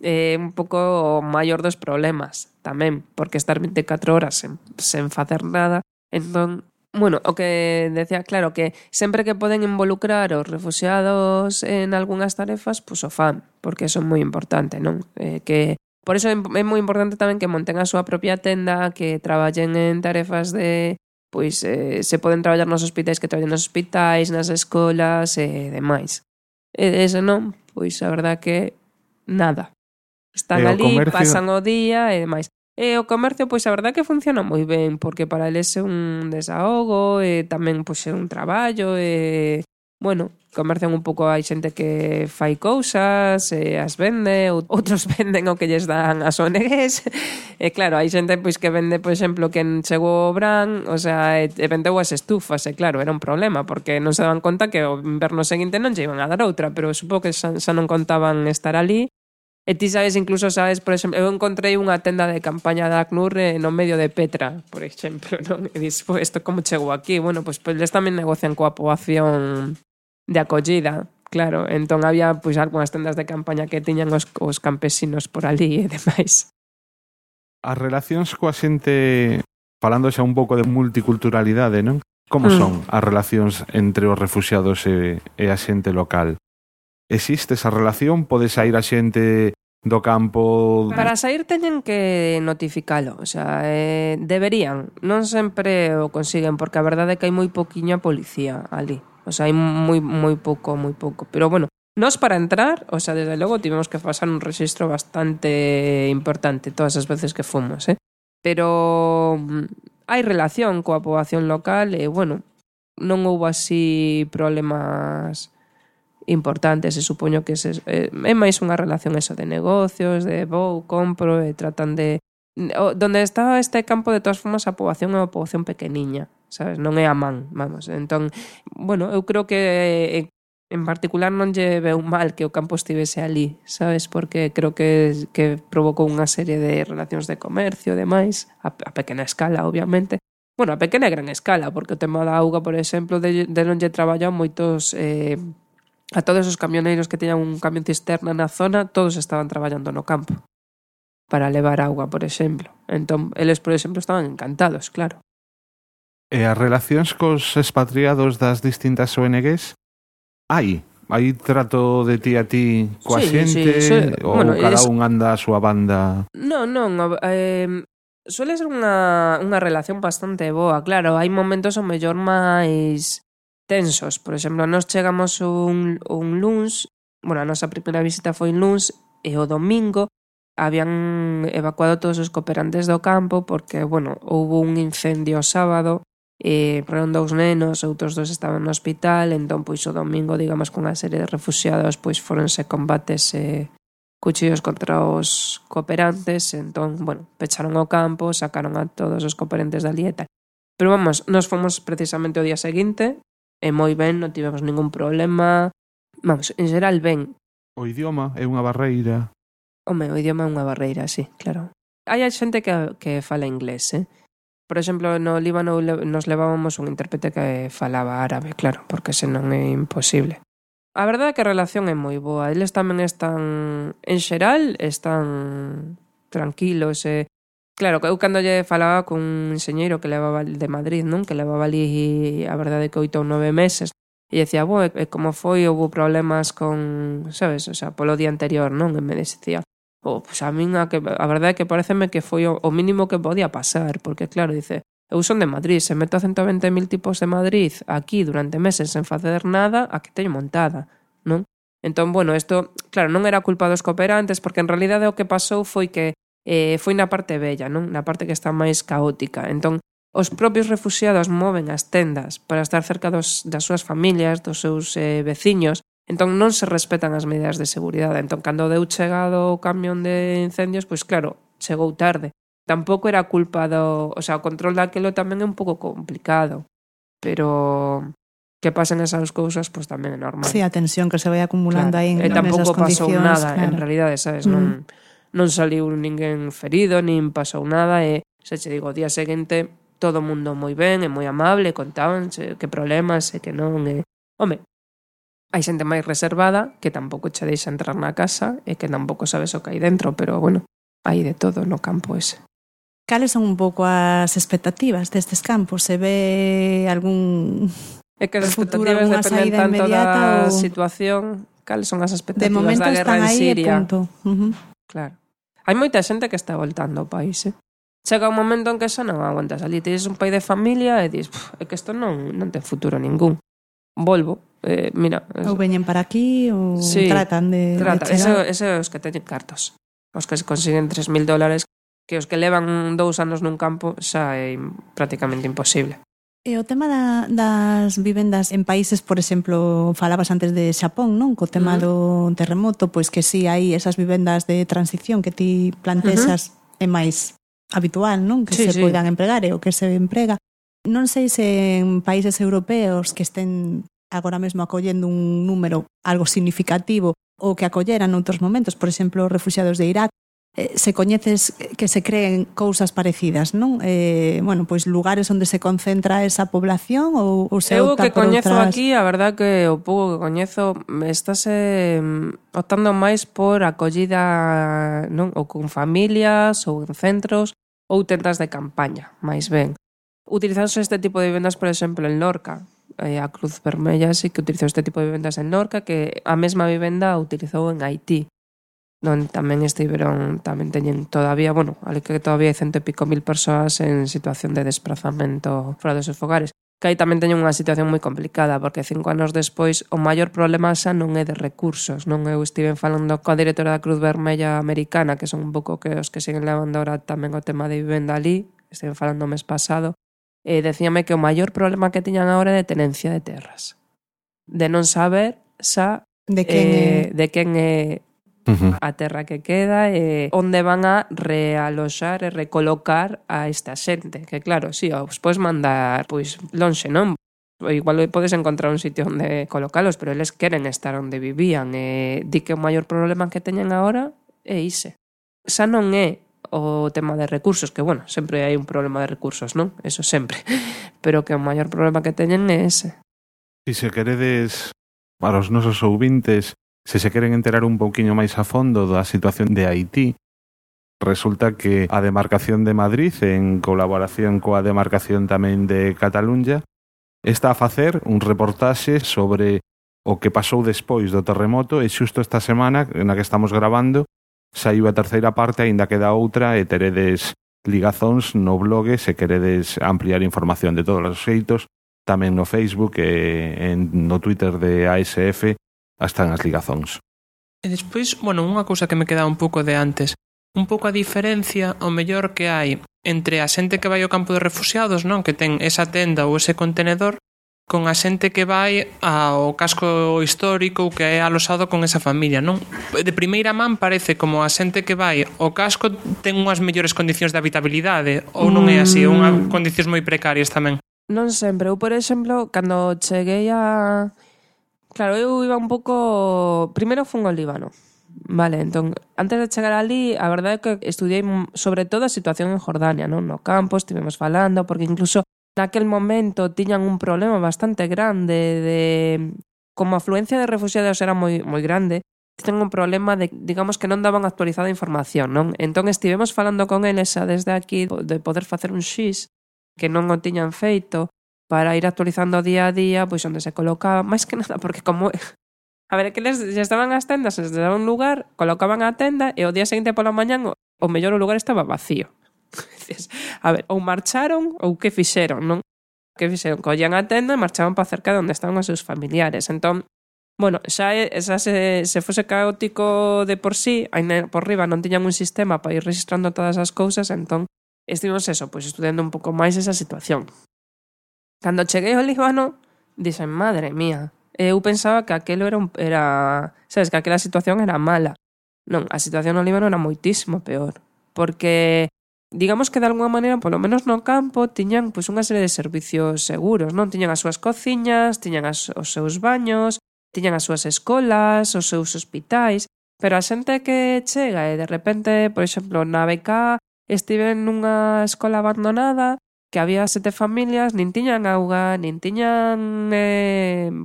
Un pouco o maior dos problemas tamén, porque estar 24 horas sen facer nada. Entón, bueno, o que decía, claro, que sempre que poden involucrar os refugiados en algunhas tarefas, pois o fan, porque eso é moi importante, non? Que por eso é moi importante tamén que monten a súa propia tenda, que traballen en tarefas de, pois, se poden traballar nos hospitais, que traballen nos hospitais, nas escolas e demais. E ese non, pois a verdad que nada. Están ali, comercio... pasan o día e demais. E o comercio, pois a verdad que funciona moi ben, porque para eles é un desahogo, e tamén pois é un traballo, e bueno, comercian un pouco, hai xente que fai cousas, as vende, outros venden o que lles dan as ONGs, e claro, hai xente pois que vende, por exemplo, que chegou o Bran, o sea, e vendeu as estufas, e claro, era un problema, porque non se daban conta que o inverno seguinte non lle iban a dar outra, pero supongo que xa non contaban estar ali. E ti sabes, incluso sabes, por exemplo, eu encontrei unha tenda de campaña da ACNUR no medio de Petra, por exemplo, non? E dis, isto como chegou aquí? Bueno, pois eles tamén negocian coa poboación de acollida, claro. Entón había pois algunhas tendas de campaña que tiñan os campesinos por ali e demais. As relacións coa xente, falando xa un pouco de multiculturalidade, non? Como son as relacións entre os refuxiados e a xente local? Existe esa relación? Pode sair a xente do campo? Para sair teñen que notificalo, o sea, deberían. Non sempre o consiguen, porque a verdade é que hai moi poquiña policía ali. O sea, hai moi pouco. Pero bueno, nós para entrar, o sea, desde logo tivemos que pasar un rexistro bastante importante todas as veces que fomos, Pero hai relación coa poboación local e, bueno, non houve así problemas importantes, e supoño que é máis unha relación eso de negocios, de vou, compro, e tratan de... Donde está este campo, de todas formas, a poboación é unha poboación pequeniña, sabes? Non é a man, vamos. Entón, bueno, eu creo que en particular non lle veu mal que o campo estivese ali, sabes? Porque creo que provocou unha serie de relacións de comercio e demais, a pequena escala, obviamente. Bueno, a pequena e gran escala, porque o tema da auga, por exemplo, de non lle traballan moitos... a todos os camioneiros que teñan un camión cisterna na zona, todos estaban traballando no campo para levar auga, por exemplo. Entón, eles, por exemplo, estaban encantados, claro. E as relacións cos expatriados das distintas ONGs? Hai trato de ti a ti coa xente? Ou bueno, cada un anda a súa banda? Non, suele ser unha relación bastante boa, claro. Hai momentos o mellor máis tensos. Por exemplo, nós chegamos un luns, bueno, a nosa primeira visita foi un luns, e o domingo habían evacuado todos os cooperantes do campo porque, bueno, houve un incendio o sábado, morreron 2 nenos, outros 2 estaban no hospital, entón, pois, o domingo, digamos, con unha serie de refuxiados, pois, foronse combates cuchillos contra os cooperantes, entón, bueno, pecharon o campo, sacaron a todos os cooperantes da lieta. Pero, vamos, nos fomos precisamente o día seguinte, e moi ben, non tivemos ningún problema. Vamos, en xeral, ben. O idioma é unha barreira? Home, o idioma é unha barreira, sí, claro. Hai xente que fala inglés, Por exemplo, no Líbano nos levábamos un intérprete que falaba árabe, claro, porque senón é imposible. A verdade é que a relación é moi boa. Eles tamén están, en xeral, están tranquilos, Claro, eu cando lle falaba con un enxeñeiro que levaba de Madrid, non? Que levaba ali, a verdade, que 8 ou 9 meses. E dicía, como foi, houve problemas con, sabes, o sea, polo día anterior, non? E me dicía, pues a min a verdade é que pareceme que foi o mínimo que podía pasar, porque claro, dice, eu son de Madrid, se meto a 120.000 tipos de Madrid aquí durante meses sen facer nada, a que teño montada, non? Entón, bueno, isto, claro, non era culpa dos cooperantes, porque en realidade o que pasou foi que foi na parte bella, non? Na parte que está máis caótica. Entón, os propios refuxiados moven as tendas para estar cerca das súas familias, dos seus veciños. Entón, non se respetan as medidas de seguridade. Entón, cando deu chegado o camión de incendios, pois claro, chegou tarde. Tampouco era culpa o sea, o control daquilo tamén é un pouco complicado. Pero que pasen esas cousas, pois tamén é normal. Sí, a tensión que se vai acumulando aí en tampouco pasou nada, claro. En realidade, sabes, non saliu ninguén ferido, nin pasou nada, e xa che digo, o día seguinte todo o mundo moi ben, e moi amable, contaban que problemas e que non, home, hai xente máis reservada que tampouco che deixa entrar na casa e que tampouco sabes o que hai dentro, pero bueno, hai de todo no campo ese. Cales son un pouco as expectativas destes campos? Se ve algún É que as expectativas dependen tanto da situación. Cales son as expectativas da guerra en Siria? Claro. Hai moita xente que está voltando ao país, Chega un momento en que xa non aguantas ali. Tens un pai de familia e dis, é que isto non ten futuro ningún. Volvo. Mira. Ou veñen para aquí ou sí, tratan de chegar. Ese os que teñen cartos. Os que se consiguen $3.000, que os que levan 2 anos nun campo xa é prácticamente imposible. E o tema das vivendas en países, por exemplo, falabas antes de Xapón, non? Co tema do terremoto, pois que sí, hai esas vivendas de transición que ti plantexas é máis habitual, non? Que se poidan empregar e o que se emprega. Non sei se en países europeos que estén agora mesmo acollendo un número algo significativo ou que acolleran noutros momentos, por exemplo, os refuxiados de Irak, se coñeces que se creen cousas parecidas, non? Bueno, pois lugares onde se concentra esa población ou se opta que por coñezo outras... aquí, a verdad que o pouco que coñezo estáse optando máis por acollida, non? Ou con familias ou en centros ou tendas de campaña, máis ben. Utilizarse este tipo de vivendas, por exemplo, en Lorca. A Cruz Vermella sí que utilizou este tipo de vivendas en Lorca, que a mesma vivenda utilizou en Haití. Non tamén tamén teñen todavía, bueno, ali que todavía hai 100 e pico mil persoas en situación de desplazamento fora dos seus fogares. Que aí tamén teñen unha situación moi complicada, porque 5 anos despois o maior problema xa non é de recursos, non? Eu estive falando coa directora da Cruz Vermella americana, que son un pouco que os que siguen levando ahora tamén o tema de vivenda ali, estive falando o mes pasado, e decíame que o maior problema que tiñan agora é de tenencia de terras. De non saber xa de quen é a terra que queda e onde van a realoxar e recolocar a esta xente, que claro, si, os podes mandar pois lonxe, non? Igual podes encontrar un sitio onde colocalos, pero eles queren estar onde vivían e di que o maior problema que teñen agora é ise. Xa non é o tema de recursos, que bueno, sempre hai un problema de recursos, non? Eso sempre, pero que o maior problema que teñen é ese. E se queredes, para os nosos ouvintes, se se queren enterar un pouquiño máis a fondo da situación de Haití, resulta que a demarcación de Madrid, en colaboración coa demarcación tamén de Cataluña, está a facer un reportaxe sobre o que pasou despois do terremoto e xusto esta semana, na que estamos grabando, saiu a terceira parte, aínda queda outra, e teredes ligazóns no blog se queredes ampliar información de todos os xeitos, tamén no Facebook e no Twitter de ASF, están as ligazóns. E despois, bueno, unha cousa que me queda un pouco de antes, un pouco a diferencia, o mellor que hai entre a xente que vai ao campo de refuxiados, non, que ten esa tenda ou ese contenedor, con a xente que vai ao casco histórico ou que é alosado con esa familia, non? De primeira man parece como a xente que vai ao casco ten unhas mellores condicións de habitabilidade, ou non é así, ou unhas condicións moi precarias tamén. Non sempre, eu por exemplo, cando cheguei a... Claro, eu iba un pouco... Primeiro fun ao Líbano. Vale, entón, antes de chegar ali, a verdade é que estudiei sobre todo a situación en Jordania, non? No campo, estivemos falando, porque incluso naquel momento tiñan un problema bastante grande de... Como a afluencia de refugiados era moi grande, tiñan un problema de, digamos, que non daban actualizada información, non? Entón, estivemos falando con eles xa desde aquí de poder facer un xis que non o tiñan feito, para ir actualizando día a día, pois onde se colocaba, máis que nada, porque como... A ver, que les estaban as tendas, se daban un lugar, colocaban a tenda, e o día seguinte pola mañán, o mellor o lugar estaba vacío. A ver, ou marcharon, ou que fixeron, non? Que fixeron? Collían a tenda e marchaban para cerca de onde estaban os seus familiares. Entón, bueno, xa se fose caótico de por sí, aí por riba non tiñan un sistema para ir registrando todas as cousas, entón, estivemos eso, pois estudiando un pouco máis esa situación. Cando cheguei ao Líbano, dixen, madre mía, eu pensaba que aquelo era sabes, que aquela situación era mala. Non, a situación no Líbano era moitísimo peor, porque digamos que de alguma maneira, polo menos no campo, tiñan pois unha serie de servicios seguros, non? Tiñan as súas cociñas, tiñan os seus baños, tiñan as súas escolas, os seus hospitais, pero a xente que chega e de repente, por exemplo, na BK estive nunha escola abandonada que había 7 familias, nin tiñan auga, nin tiñan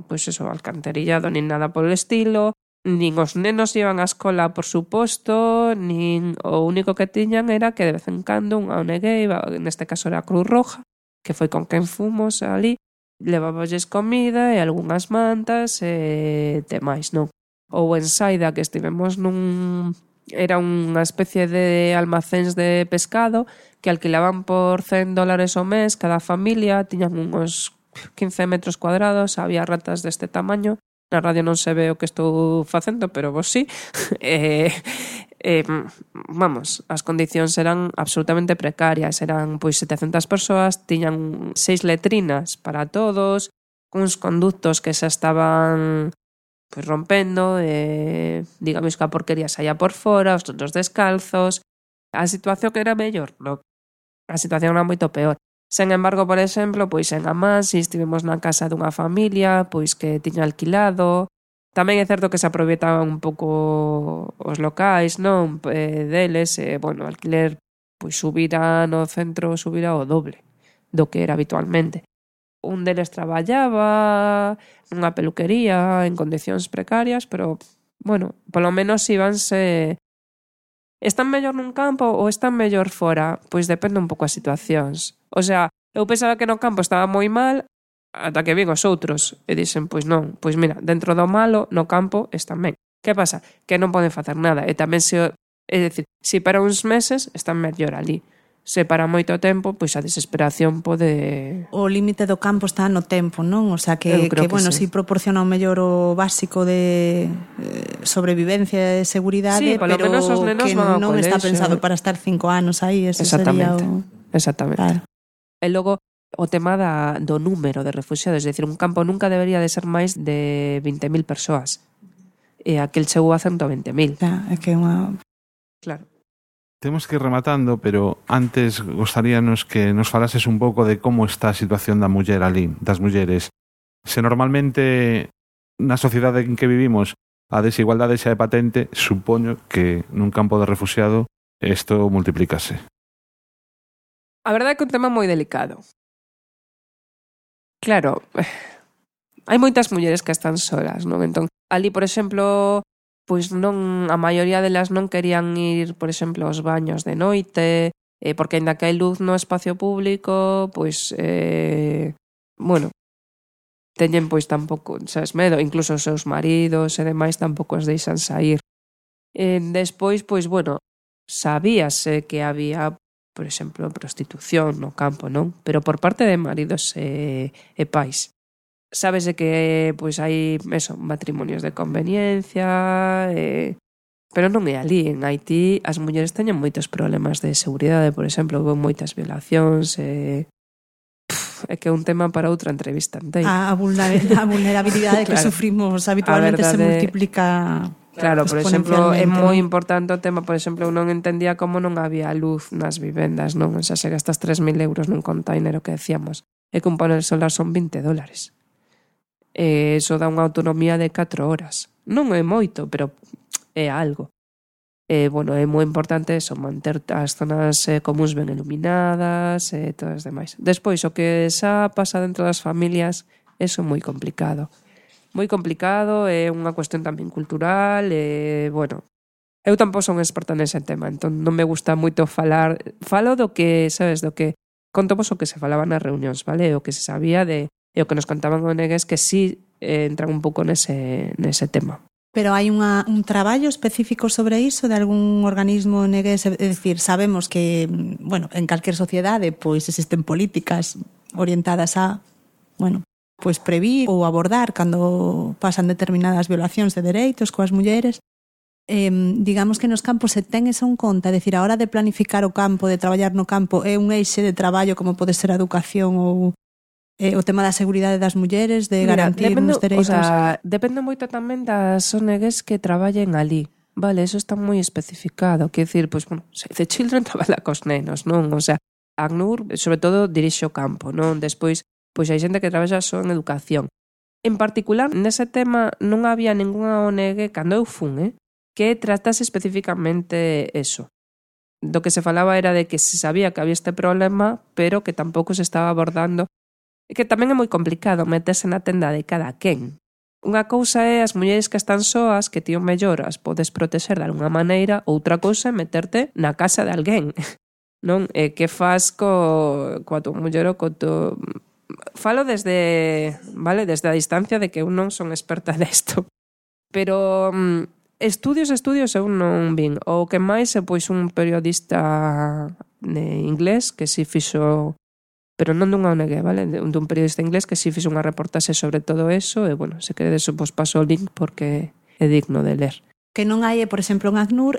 pois eso, alcantarillado, nin nada polo estilo, nin os nenos iban á escola, por suposto, nin o único que tiñan era que de vez en cando unha ONG, neste caso era a Cruz Roja, que foi con quen fomos ali, leváballes comida e algunhas mantas e demais, non? Ou en Saida, que estivemos era unha especie de almacéns de pescado que alquilaban por $100 ao mes cada familia, tiñan uns 15 metros cuadrados, había ratas deste tamaño, na radio non se ve o que estou facendo, pero vos sí, vamos, as condicións eran absolutamente precarias, eran pois 700 persoas, tiñan 6 letrinas para todos, uns conductos que xa estaban pois rompendo, digamos que a porquería saía por fora, os todos descalzos. A situación era mellor, no? A situación era moito peor. Sen embargo, por exemplo, pois en Amás estivemos na casa dunha familia pois que tiña alquilado. Tamén é certo que se aproveitaban un pouco os locais, non? Deles, bueno, o alquiler pois subira no centro, subira o doble do que era habitualmente. Un deles traballaba nunha peluquería en condicións precarias, pero, bueno, polo menos íbanse. Están mellor nun campo ou están mellor fora? Pois depende un pouco as situacións. O sea, eu pensaba que no campo estaba moi mal ata que vin os outros e dixen, pois non, pois mira, dentro do malo, no campo están ben. Que pasa? Que non poden facer nada e tamén é dicir, se para uns meses están mellor ali. Se para moito tempo, pois a desesperación pode... O límite do campo está no tempo, non? O sea, que bueno, si proporciona o mellor o básico de sobrevivencia e seguridade, pero menos os nenos que colexio. Non está pensado para estar 5 anos aí, ese sería o... Exactamente. Claro. E logo, o tema do número de refugiados, é dicir, un campo nunca debería de ser máis de 20.000 persoas. E aquel chegou a 120.000. É que é unha... Claro. Temos que ir rematando, pero antes gostaríanos que nos falases un pouco de como está a situación da muller ali, das mulleres. Se normalmente na sociedade en que vivimos a desigualdade xa é patente, supoño que nun campo de refugiado isto multiplícase. A verdade é que é un tema moi delicado. Claro, hai moitas mulleres que están solas, non? Entón, ali, por exemplo, pois non, a maioría delas non querían ir, por exemplo, aos baños de noite, porque aínda que hai luz no espacio público, pois, bueno, teñen pois tampouco, sabes, medo, incluso os seus maridos e demais tampouco os deixan sair. Despois, pois, bueno, sabíase que había, por exemplo, prostitución no campo, non? Pero por parte de maridos e pais. Sábese que pois hai matrimonios de conveniencia, pero non é ali. En Haití as mulleres teñen moitos problemas de seguridade, por exemplo, houve moitas violacións, é que é un tema para outra entrevista inteira. A vulnerabilidade que sufrimos habitualmente se multiplica. Claro, por exemplo, é moi importante o tema, por exemplo, eu non entendía como non había luz nas vivendas, non? O sea, se gastas 3.000 euros nun container, o que decíamos, é que un panel solar son $20. Eso dá unha autonomía de 4 horas. Non é moito, pero é algo. Bueno, é moi importante eso, manter as zonas comuns ben iluminadas e todas as demais. Despois, o que xa pasa dentro das familias, eso é moi complicado. Moi complicado, é unha cuestión tamén cultural, bueno, eu tampouco son experta nese tema, entón non me gusta moito falar. Falo do que, sabes, do que contovos o que se falaba nas reunións, vale? O que se sabía e o que nos contaban ONGs que sí entran un pouco nese tema. Pero hai un traballo específico sobre iso de algún organismo ONG, é dicir, sabemos que, bueno, en calquer sociedade pois existen políticas orientadas a, bueno, pois previr ou abordar cando pasan determinadas violacións de dereitos coas mulleres. Digamos que nos campos se ten eso en conta, é dicir, a hora de planificar o campo, de traballar no campo, é un eixe de traballo como pode ser a educación ou o tema da seguridade das mulleres, de garantir os dereitos. O sea, depende moito tamén das ONGs que traballen ali. Vale, eso está moi especificado. Quer dicir, pois, bueno, Save the Children traballa cos nenos, non? O sea, ACNUR, sobre todo, dirixe o campo, non? Despois, pois hai xente que traballa só en educación. En particular, nese tema non había ningunha ONG, cando eu fun, que tratase especificamente eso. Do que se falaba era de que se sabía que había este problema, pero que tampouco se estaba abordando. E que tamén é moi complicado meterse na tenda de cada quen. Unha cousa é as mulleres que están soas, que tío mellor as podes protexer de alguna maneira, outra cousa é meterte na casa de alguén. Non? E que faz coa tua muller ou co teu... Falo desde a distancia de que eu non son experta nesto. Pero estudios eu non vin. O que máis é pois un periodista inglés que si fixo, pero non dunha ONG, vale? Dun periodista inglés que si fixo unha reportaxe sobre todo eso e, bueno, se queredes vos paso o link porque é digno de ler. Que non hai, por exemplo, en ACNUR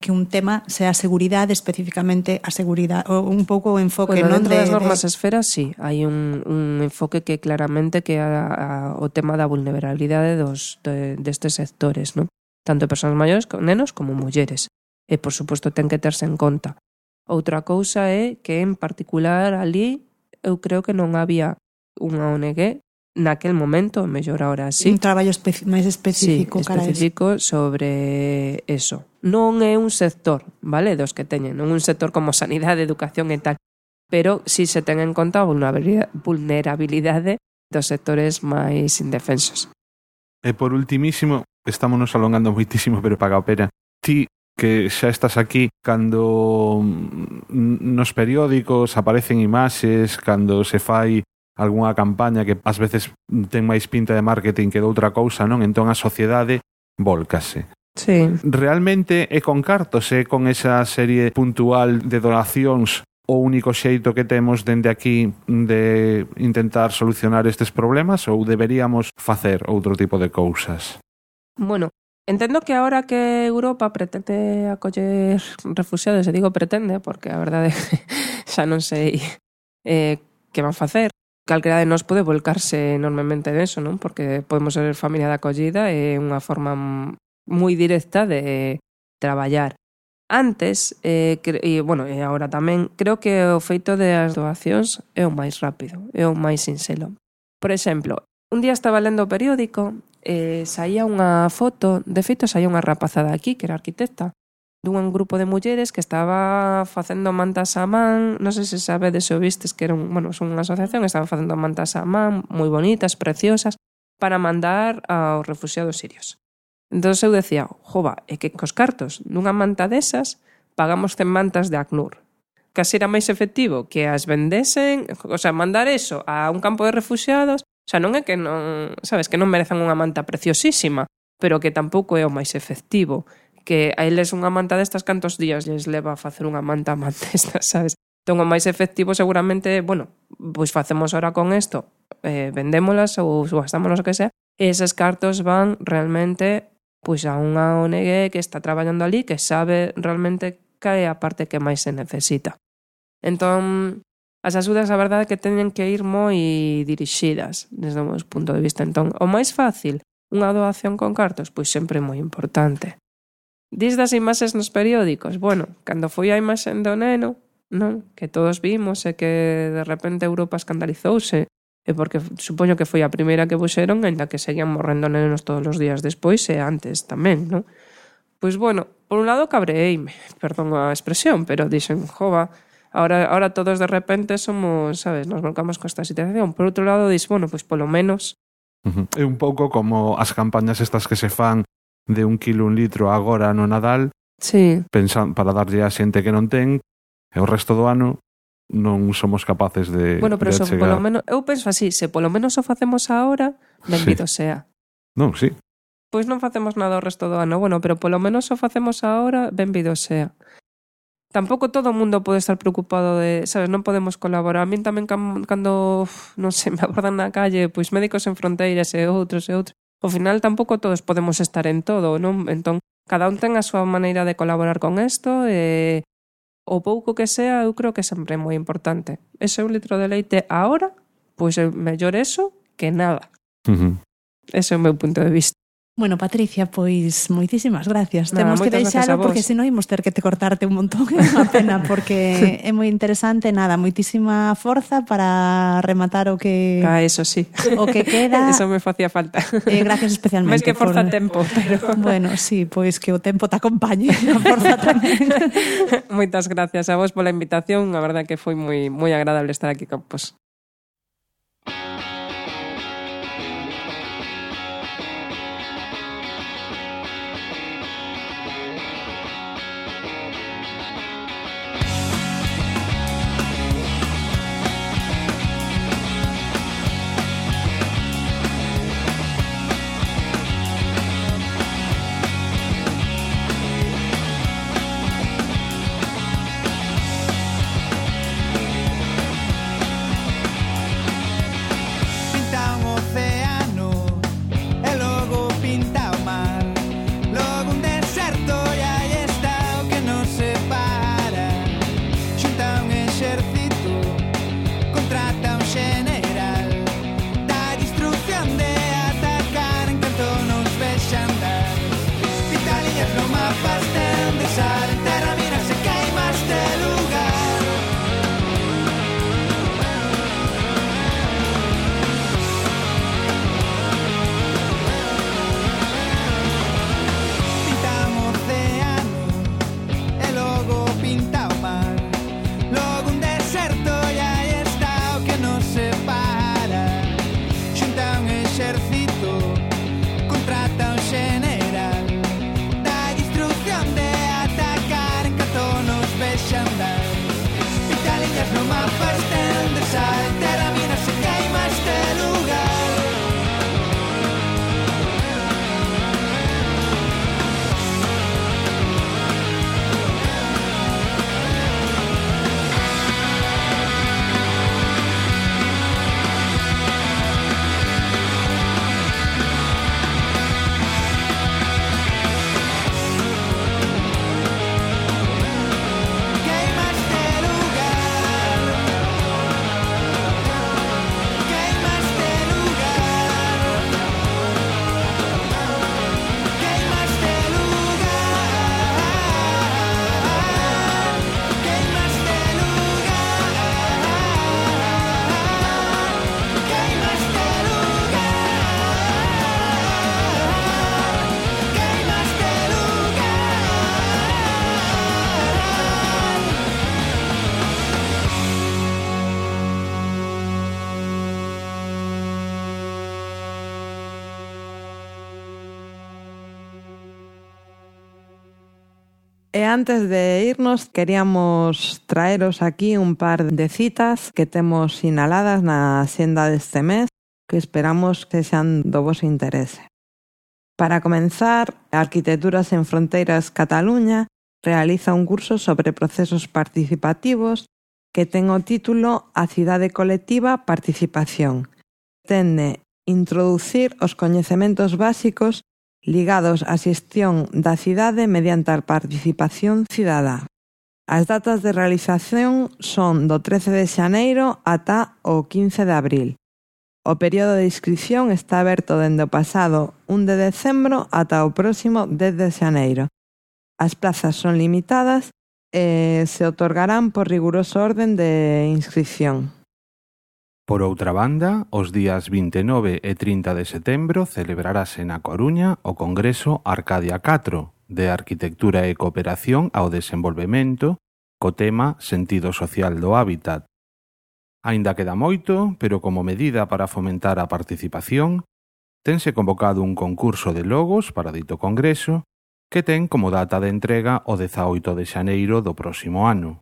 que un tema sea a seguridade, especificamente a seguridade, ou un pouco o enfoque, bueno, non? Dentro das normas esferas, sí, hai un enfoque que claramente que o tema da vulnerabilidade destes sectores, non? Tanto persoas maiores, nenos, como mulleres. E, por suposto, ten que terse en conta. Outra cousa é que, en particular, ali, eu creo que non había unha ONG naquel momento, mellor ahora sí. Un traballo máis específico, sí, específico sobre eso. Non é un sector, vale, dos que teñen, non un sector como sanidade, educación e tal, pero si se ten en conta a vulnerabilidade dos sectores máis indefensos. E por ultimísimo, estamos nos alongando moitísimo, pero paga a pena. Ti que xa estás aquí cando nos periódicos aparecen imaxes, cando se fai algunha campaña que ás veces ten máis pinta de marketing que de outra cousa, non? Entón a sociedade volcase. Sí. Realmente é con cartos, é con esa serie puntual de donacións o único xeito que temos dende aquí de intentar solucionar estes problemas ou deberíamos facer outro tipo de cousas? Bueno, entendo que agora que Europa pretende acoller refugiados, e digo pretende porque a verdade xa non sei que van facer. Calquera de nós pode volcarse enormemente neso, non? Porque podemos ser familia de acollida e unha forma moi directa de traballar. Antes, e agora tamén, creo que o feito das doacións é o máis rápido, é o máis sinxelo. Por exemplo, un día estaba lendo o periódico e saía unha foto, de feito saía unha rapazada aquí, que era arquitecta, dun grupo de mulleres que estaba facendo mantas a man, non sei se sabedes ou vistes que era son unha asociación, estaban facendo mantas a man, moi bonitas, preciosas, para mandar aos refugiados sirios. Entón eu decía, jova, é que cos cartos dunha manta desas pagamos 100 mantas de ACNUR. Casi era máis efectivo que as vendesen, o sea, mandar eso a un campo de refugiados, o sea, non é que non, sabes, que non merezan unha manta preciosísima, pero que tampouco é o máis efectivo. Que a eles unha manta destas cantos días lles leva a facer unha manta destas, sabes? Entón o máis efectivo seguramente, pois facemos ahora con isto, vendémolas ou gastámonos o que sea, e eses cartos van realmente pois a unha ONG que está traballando ali, que sabe realmente que é a parte que máis se necesita. Entón, as axudas, a verdade, que teñen que ir moi dirixidas desde o meu punto de vista. Entón, o máis fácil, unha doación con cartos, pois sempre é moi importante. Dis das imaxes nos periódicos, cando foi a imaxe do neno, non? Que todos vimos e que de repente Europa escandalizouse, e porque supoño que foi a primeira que puxeron, ainda que seguían morrendo nenos todos os días despois e antes tamén, non? Pois por un lado cabreeime, perdón a expresión, pero dixen, jova, ahora todos de repente somos, sabes, nos volcamos con esta situación. Por outro lado, pois polo menos... É un pouco como as campañas estas que se fan de 1 kilo, 1 litro agora no Nadal, sí, para darlle a xente que non ten, e o resto do ano non somos capaces de pero de eso, chegar. polo menos, eu penso así, se polo menos o facemos ahora, benvido sea. Non, sí. Pois non facemos nada o resto do ano, pero polo menos o facemos ahora, benvido sea. Tampouco todo o mundo pode estar preocupado de, sabes, non podemos colaborar. A min tamén cando, non sei, me abordan na calle, pois Médicos Sen Fronteiras e outros. Ao final tampouco todos podemos estar en todo, non? Entón, cada un ten a súa maneira de colaborar con isto e o pouco que sea, eu creo que sempre é moi importante. Ese 1 litro de leite ahora, pois é mellor eso que nada. Ese é o meu punto de vista. Bueno, Patricia, pois moitísimas gracias. Temos que moitas gracias deixalo porque senón imos ter que te cortarte un montón. É unha pena porque é moi interesante. Nada, moitísima forza para rematar o que... Eso sí. O que queda. Eso me facía falta. Gracias especialmente. Máis que forza tempo, pero... Bueno, sí, pois que o tempo te acompañe. A forza tamén. Moitas gracias a vos pola invitación. A verdade que foi moi agradable estar aquí con vos. E antes de irnos, queríamos traeros aquí un par de citas que temos sinaladas na axenda deste mes que esperamos que sean do voso interese. Para comenzar, Arquitecturas en Fronteiras Cataluña realiza un curso sobre procesos participativos que ten o título A cidade colectiva participación. Tende introducir os coñecementos básicos ligados á xestión da cidade mediante a participación cidadá. As datas de realización son do 13 de xaneiro ata o 15 de abril. O período de inscripción está aberto dende o pasado 1 de decembro ata o próximo 10 de xaneiro. As plazas son limitadas e se otorgarán por riguroso orden de inscripción. Por outra banda, os días 29 e 30 de setembro celebrarase na Coruña o Congreso Arcadia 4 de Arquitectura e Cooperación ao Desenvolvemento co tema Sentido Social do Hábitat. Aínda queda moito, pero como medida para fomentar a participación, tense convocado un concurso de logos para dito congreso que ten como data de entrega o 18 de xaneiro do próximo ano.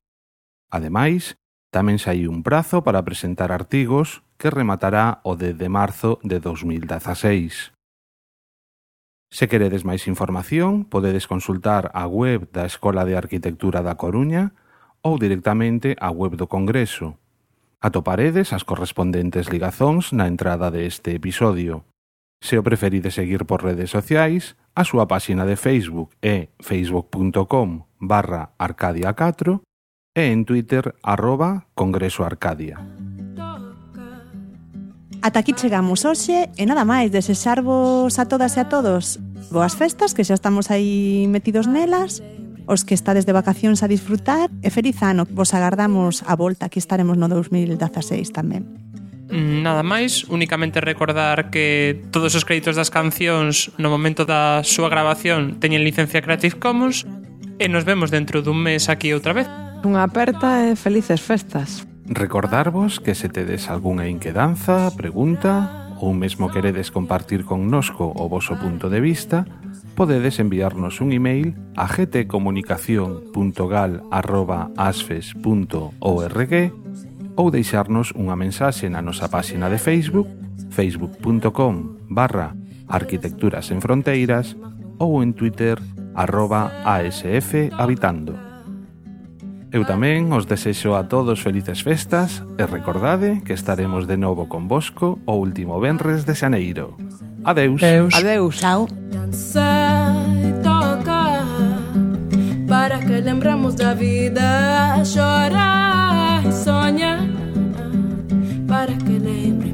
Ademais, tamén saíu un prazo para presentar artigos que rematará o 10 de marzo de 2016. Se queredes máis información, podedes consultar a web da Escola de Arquitectura da Coruña ou directamente a web do Congreso. Atoparedes as correspondentes ligazóns na entrada deste episodio. Se o preferides seguir por redes sociais, a súa páxina de Facebook é facebook.com/arcadia4 e en Twitter @congresoarcadia. Ata aquí chegamos hoxe e nada máis desexarvos a todas e a todos boas festas, que xa estamos aí metidos nelas, os que estades de vacacións a disfrutar e feliz ano. Vos agardamos a volta, aquí estaremos no 2016 tamén. Nada máis, únicamente recordar que todos os créditos das cancións no momento da súa grabación teñen licencia Creative Commons e nos vemos dentro dun mes aquí outra vez. Unha aperta e felices festas. Recordarvos que se tedes algunha inquedanza, pregunta ou mesmo queredes compartir connosco o voso punto de vista, podedes enviarnos un email a gtcomunicacion.gal@asfes.org ou deixarnos unha mensaxe na nosa páxina de Facebook, facebook.com/arquitecturas en fronteiras ou en Twitter @asfhabitando. Eu tamén os desexo a todos felices festas e recordade que estaremos de novo convosco o último venres de xaneiro. Adeus. Adeus. Chao. Dançar e tocar para que lembramos da vida, chorar e sonhar para que lembre